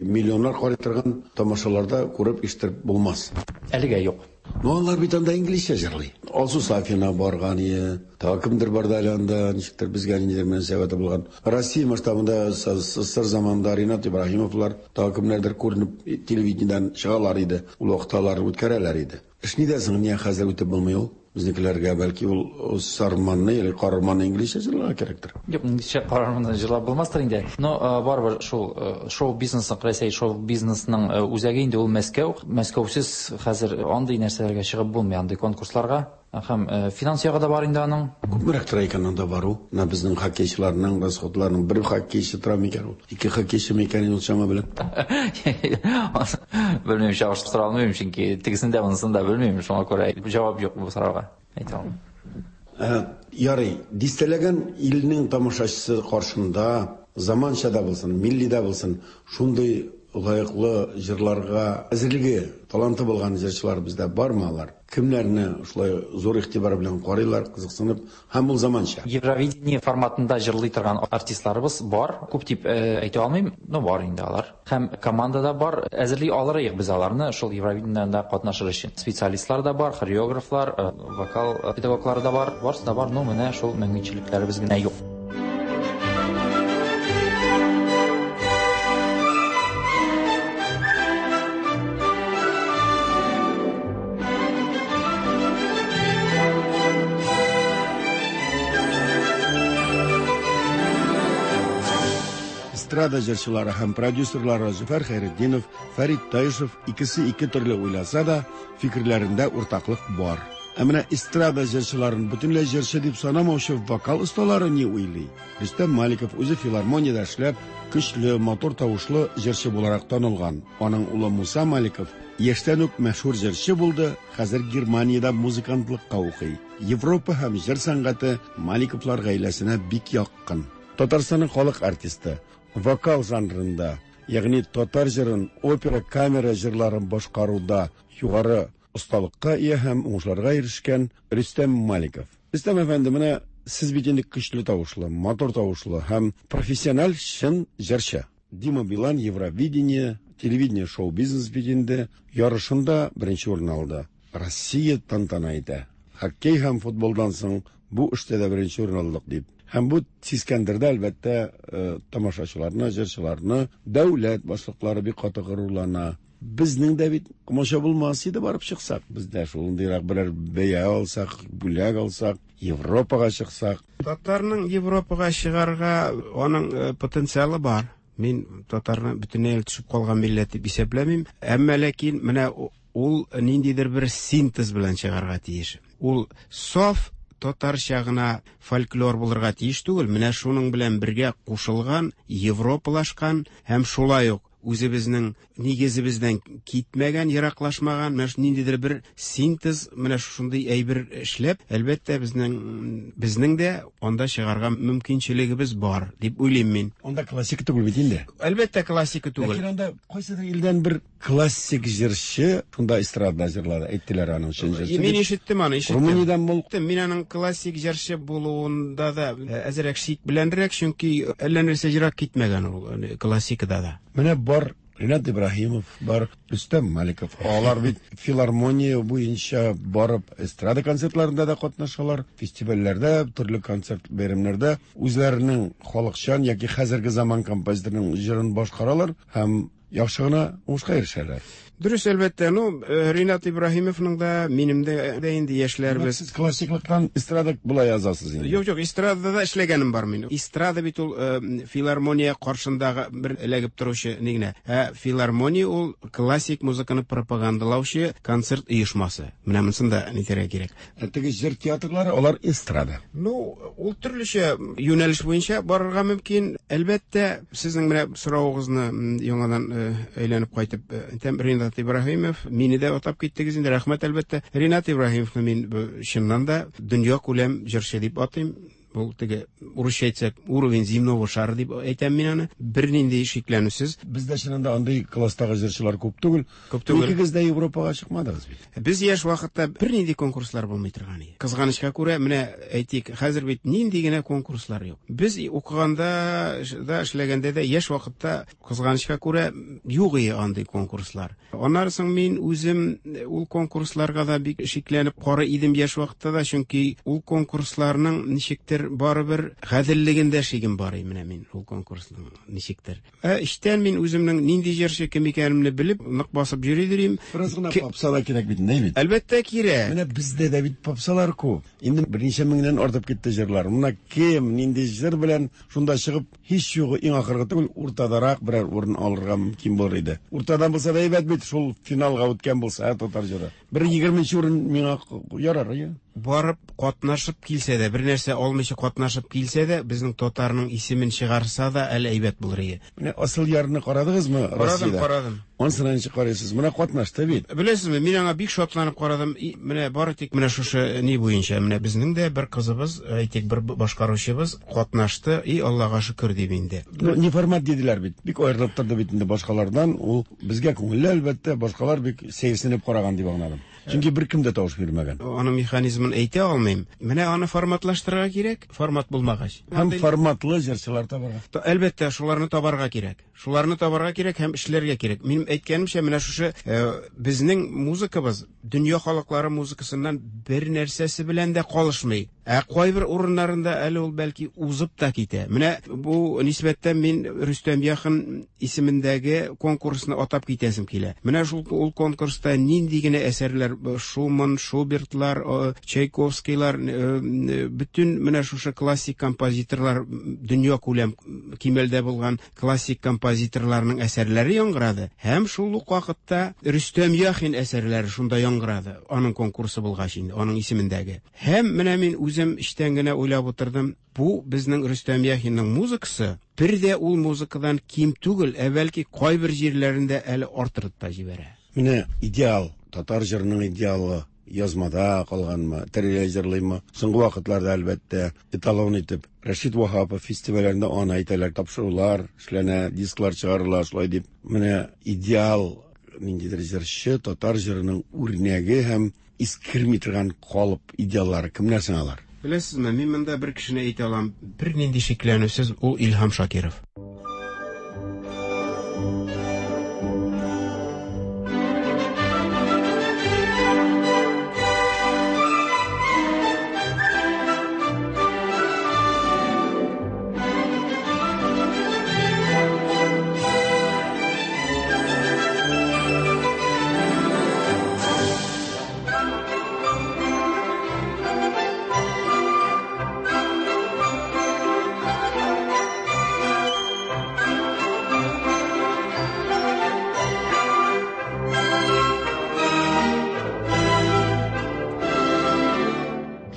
миллионнар карый торган тамашаларда күреп ишеттереп булмас. Әлегә юк. Ну, алар бит анда инглизчә җырлый. Алсу Сафина барган ие, тагы кемдер барды әле анда, ничектер безгә ниндидер мөнәсәбәте булган. Россия масштабында СССР заманында Ринат Ибраһимовлар, тагы кемнәрдер күренеп телевидениедән чыгалар иде. Ул вакытта алар үткәрәләр иде. Эш нидә соң, ния хәзер үтеп булмый ул? Безнекеләргә бәлки ул сарманны или карарманны инглизчә җырларга кирәктер. Юк, инглизчә карарманны җырлап булмастыр инде. Но барыбер шул шоу-бизнесның, Рәсәй шоу-бизнесның үзәге инде ул Мәскәү. Мәскәүсез хәзер андый нәрсәләргә чыгып булмый, андый конкурсларга. Һәм финанс ягы да бар инде аның. Күпмерәк тора икән анда бару? Менә безнең хоккейчыларның расходларының бер хоккейчы тора микән ул? Ике хоккейчы микән ул чама белән? Белмим, чагыштыра алмыйм, чөнки тегесен дә, монысын да белмим, шуңа күрә җавап юк бу сорауга. Әйтә алмыйм. Ярый, дистәләгән илнең тамашачысы каршында Заманча да булсын, милли дә булсын, шундый лаеклы җырларга әзерлеге, таланты булган җырчылар бездә бармы алар? Кемнәрне шулай зур игътибар белән карыйлар, кызыксынып, һәм ул заманча? Евровидение форматында җырлый торган артистларыбыз бар. Күп дип әйтә алмыйм, но бар инде алар. Һәм команда да бар. Әзерли алырыек без аларны шул Евровидениедә катнашыр өчен. Специалистлар да бар, хореографлар, вокал педагоглары да бар. Барысы да бар, но менә шул мөмкинчелекләребез генә юк. Эстрада җырчылары һәм продюсерлары Зөфәр Хәйретдинов, Фәрит Таишев икесе ике төрле уйласа да, фикерләрендә уртаклык бар. Ә менә эстрада җырчыларын бөтенләй җырчы дип санамаучы вокал осталары ни уйлый? Рөстәм Маликов үзе филармониядә эшләп, көчле, матур тавышлы җырчы буларак танылган. Аның улы Муса Маликов яшьтән үк мәшһүр җырчы булды, хәзер Германиядә музыкантлыкка укый. Европа һәм җыр сәнгате Маликовлар гаиләсенә бик якын. Татарстанның халык артисты, вокал жанрында, ягъни татар җырын, опера, камера җырларын башкаруда югары осталыкка ия һәм уңышларга ирешкән Рөстәм Маликов. Рөстәм әфәнде, менә сез бит инде көчле тавышлы, матур тавышлы һәм профессиональ чын җырчы. Дима Билан Евровидение, телевидение шоу-бизнес бит инде ярышында беренче урын алды. Россия тантана итә. Хоккей һәм футболдан соң бу эштә дә беренче урын алдык дип. Һәм бу сискәндерде, әлбәттә, тамашачыларны, җырчыларны. Дәүләт башлыклары бик каты горурлана. Безнең дә бит комача булмас иде барып чыксак. Без дә шундыйрак берәр бәя алсак, бүләк алсак, Европага чыксак. Татарның Европага чыгарга аның потенциалы бар. Мин татарны бөтенләй төшеп калган милләт дип исәпләмим. Әмма ләкин менә ул ниндидер бер синтез белән чыгарга тиеш. Ул саф татарча гына фольклор булырга тиеш түгел. Менә шуның белән бергә кушылган, европалашкан һәм шулай ук үзебезнең нигезебездән китмәгән, ераклашмаган, менә ниндидер бер синтез, менә шундый әйбер эшләп, әлбәттә, безнең дә анда чыгарга мөмкинчелегебез бар, дип уйлыйм мин. Анда классика түгел бит инде. Әлбәттә, классика түгел. Ләкин анда кайсыдыр илдән бер классик җырчы шунда эстрадада җырлады, әйттеләр аның чын җырчы. Мин ишеттем аны, ишеттем. Румыниядән бул. Мин аның классик җырчы булуында да әзрәк шик беләнрәк, чөнки әллә нәрсә ерак китмәгән ул классикада да. Менә бар Ринат Ибраһимов, бар Рөстәм Маликов. Алар бит филармония буенча барып эстрада концертларында да катнашалар, фестивальләрдә, төрле концерт бәйрәмнәрдә үзләренең халыкчан яки хәзерге заман композиторының җырын башкаралар һәм яхшы гына уңышка ирешәләр. Дөрес, әлбәттә. Ну, Ринат Ибраһимовның да, минем дә инде яшьләрбез. Сез классиклыктан эстрада болай язасыз инде. Юк, юк, эстрадада да эшләгәнем бар минем. Эстрада бит ул филармония каршындагы бер эләгеп торучы ни генә. Ә филармония ул классик музыканы пропагандалаучы концерт оешмасы. Менә монысын да әйтергә кирәк. Ә теге җыр театрлары, алар эстрада. Ну, ул төрлечә юнәлеш буенча барырга мөмкин. Әлбәттә, сезнең менә соравыгызны яңадан әйләнеп кайтып әйтәм, Ринат Ибраһимов, мине дә атап киттегез инде, рәхмәт әлбәттә. Ринат Ибраһимовны мин чыннан да дөнья күләм җырчы дип атыйм. Бу теге урысча әйтсәк, уровень земного шара дип әйтәм мин аны. Бернинди шикләнүсез. Бездә чыннан да андый класстагы җырчылар күп түгел. Күп түгел. Икегез дә Европага чыкмадыгыз бит. Без яшь вакытта бернинди конкурслар булмый торган иде. Кызганычка күрә, менә әйтик, хәзер бит нинди генә конкурслар юк. Без укыганда да, эшләгәндә дә яшь вакытта кызганычка күрә юк иде андый конкурслар. Аннары соң мин үзем ул конкурсларга да бик шикләнеп карый идем яшь вакытта да, чөнки ул конкурсларның ничектер барыбер гаделлегендә шигем бар иде менә мин ул конкурсның ничектер. Ә эчтән мин үземнең нинди җырчы кем икәнемне белеп, нык басып йөри дирим. Бераз гына попса да кирәк бит, ни бит? Әлбәттә кирәк. Менә бездә дә бит попсалар күп. Инде берничә меңнән артып китте җырлар. Менә кем нинди җыр белән шунда чыгып, һич югы иң ахыргы түгел, уртадарак берәр урын алырга мөмкин булыр иде. Уртадан булса да әйбәт бит, шул финалга үткән булса, татар җыры. Бер 20 урын миңа ярар, иә. Барып катнашып килсә дә, бер нәрсә алмыйча катнашып килсә дә, безнең татарның исемен чыгарса да әле әйбәт булыр иде. Менә Асыл ярны карадыгызмы Карадым, Россиядә? карадым. Анысына ничек карыйсыз? Менә катнашты бит. Беләсезме, мин аңа бик шатланып карадым. Менә бары тик менә шушы ни буенча, менә безнең дә бер кызыбыз, әйтик, бер башкаручыбыз катнашты, и Аллага шөкер дип инде. Ну, не формат диделәр бит. Бик аерылып торды бит инде башкалардан. Ул безгә күңелле, әлбәттә, башкалар бик сәерсенеп караган дип аңладым. Чөнки беркем дә тавыш бирмәгән. Аның механизмын әйтә алмыйм. Менә аны форматлаштырырга кирәк, формат булмагач. Һәм форматлы җырчылар табарга. Әлбәттә, шуларны табарга кирәк. Шуларны табарга кирәк һәм эшләргә кирәк. Минем әйткәнемчә, менә шушы безнең музыкабыз дөнья халыклары музыкасыннан бер нәрсәсе белән дә калышмый. Ә кайбер урыннарында әле ул бәлки узып та китә. Менә бу нисбәттән мин Рөстәм Яхин исемендәге конкурсны атап китәсем килә. Менә шул ул конкурста нинди генә әсәрләр, Шуман, Шубертлар, Чайковскийлар, бөтен менә шушы классик композиторлар, дөнья күләм кимәлдә булган классик композиторларның әсәрләре яңгырады. Һәм шул ук вакытта Рөстәм Яхин әсәрләре шунда яңгырады. Аның конкурсы булгач инде, аның исемендәге. Һәм менә мин үзем эчтән генә уйлап утырдым, бу безнең Рөстәм Яхинның музыкасы бер дә ул музыкадан ким түгел, ә бәлки кайбер җирләрендә әле артырып та җибәрә. Менә идеал, татар җырының идеалы язмада калганмы, тереләй җырлыймы? Соңгы вакытларда, әлбәттә, эталон итеп Рәшит Ваһапов фестивальләрендә аны әйтәләр, тапшырулар эшләнә, дисклар чыгарыла, шулай дип. Менә идеал ниндидер җырчы, татар җырының үрнәге һәм искерми торган калып идеаллары кемнәр соң алар? Беләсезме, мин монда бер кешене әйтә алам, бернинди шикләнүсез, ул Илһам Шакиров.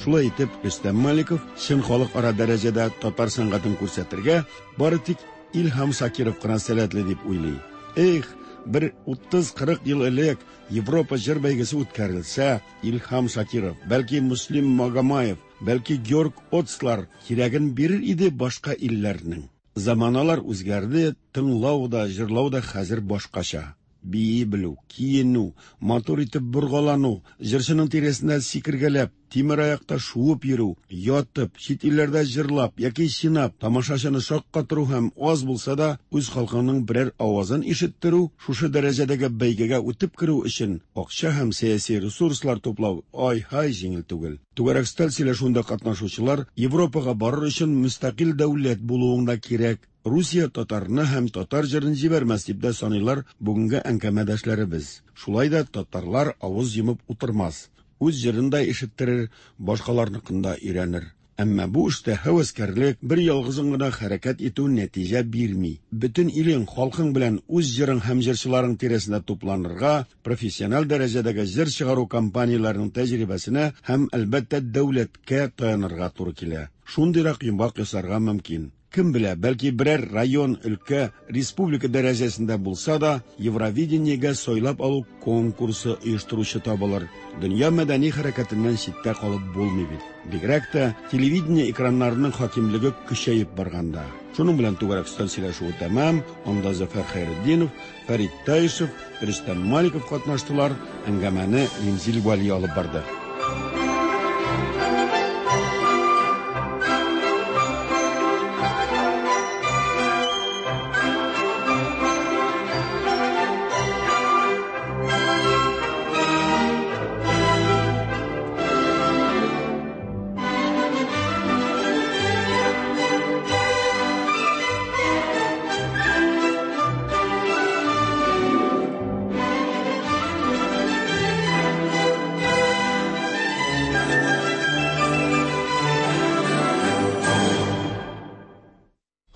Шулай итеп, Рөстәм Маликов чын халыкара дәрәҗәдә татар сәнгатен күрсәтергә бары тик Илһам Шакиров кына сәләтле дип уйлый. Эх, бер 30-40 ел элек Европа җыр бәйгесе үткәрелсә, Илһам Шакиров, бәлки Муслим Магомаев, бәлки Георг Отслар кирәген бирер иде башка илләрнең. Заманалар үзгәрде, тыңлау да, җырлау да хәзер башкача. Бии белү, киенү, матур итеп боргалану, җырчының тирәсендә сикергәләп, тимер аякта шуып йөрү, ятып, чит илләрдә җырлап яки чинап, тамашачыны шаккатыру һәм аз булса да үз халкыңның берәр авазын ишеттерү, шушы дәрәҗәдәге бәйгегә үтеп керү өчен акча һәм сәяси ресурслар туплау ай-һай җиңел түгел. Түгәрәк өстәл сөйләшүендә катнашучылар Европага барыр өчен мөстәкыйль дәүләт булуың да кирәк, Русия татарны һәм татар җырын җибәрмәс дип тә саныйлар бүгенге әңгәмәдәшләребез. Шулай да татарлар авыз йомып утырмас. Үз җырын да ишеттерер, башкаларныкын да өйрәнер. Әмма бу эштә һәвәскәрлек, бер ялгызың гына хәрәкәт итү нәтиҗә бирми. Бөтен илең, халкың белән үз җырың һәм җырчыларың тирәсендә тупланырга, профессиональ дәрәҗәдәге җыр чыгару компанияләренең тәҗрибәсенә һәм, әлбәттә, дәүләткә таянырга туры килә. Шундыйрак йомгак ясарга мөмкин. Кем белә, бәлки берәр район, өлкә, республика дәрәҗәсендә булса да, Евровидениегә сайлап алу конкурсы оештыручы табылыр. Дөнья мәдәни хәрәкәтеннән читтә калып булмый бит. Бигрәк тә телевидение экраннарының хакимлеге көчәеп барганда. Шуның белән түгәрәк өстәл сөйләшүе тәмам. Анда Зөфәр Хәйретдинов, Фәрит Таишев, Рөстәм Маликов катнаштылар. Әңгәмәне Римзил Вәли алып барды.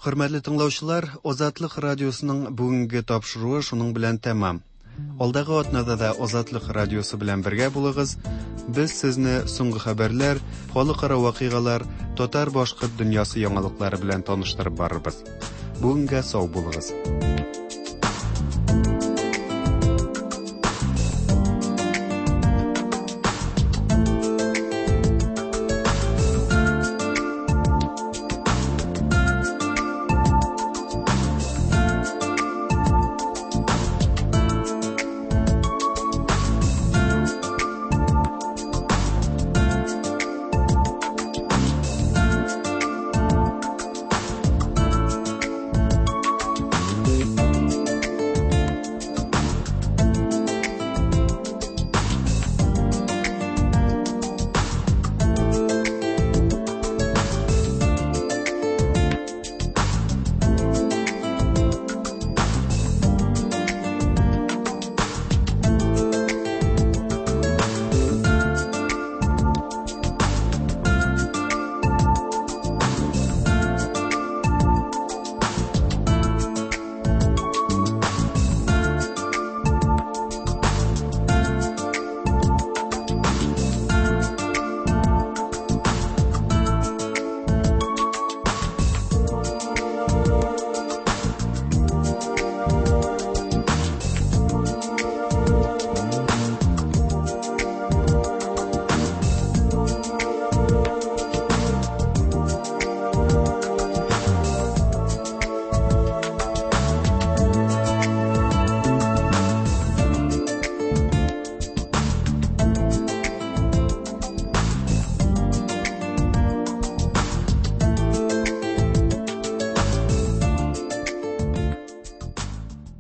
Хөрмәтле тыңлаучылар, Азатлык радиосының бүгенге тапшыруы шуның белән тәмам. Алдагы атнада да Азатлык радиосы белән бергә булыгыз. Без сезне соңгы хәбәрләр, халыкара вакыйгалар, татар-башкорт дөньясы яңалыклары белән таныштырып барырбыз. Бүгенгә сау булыгыз.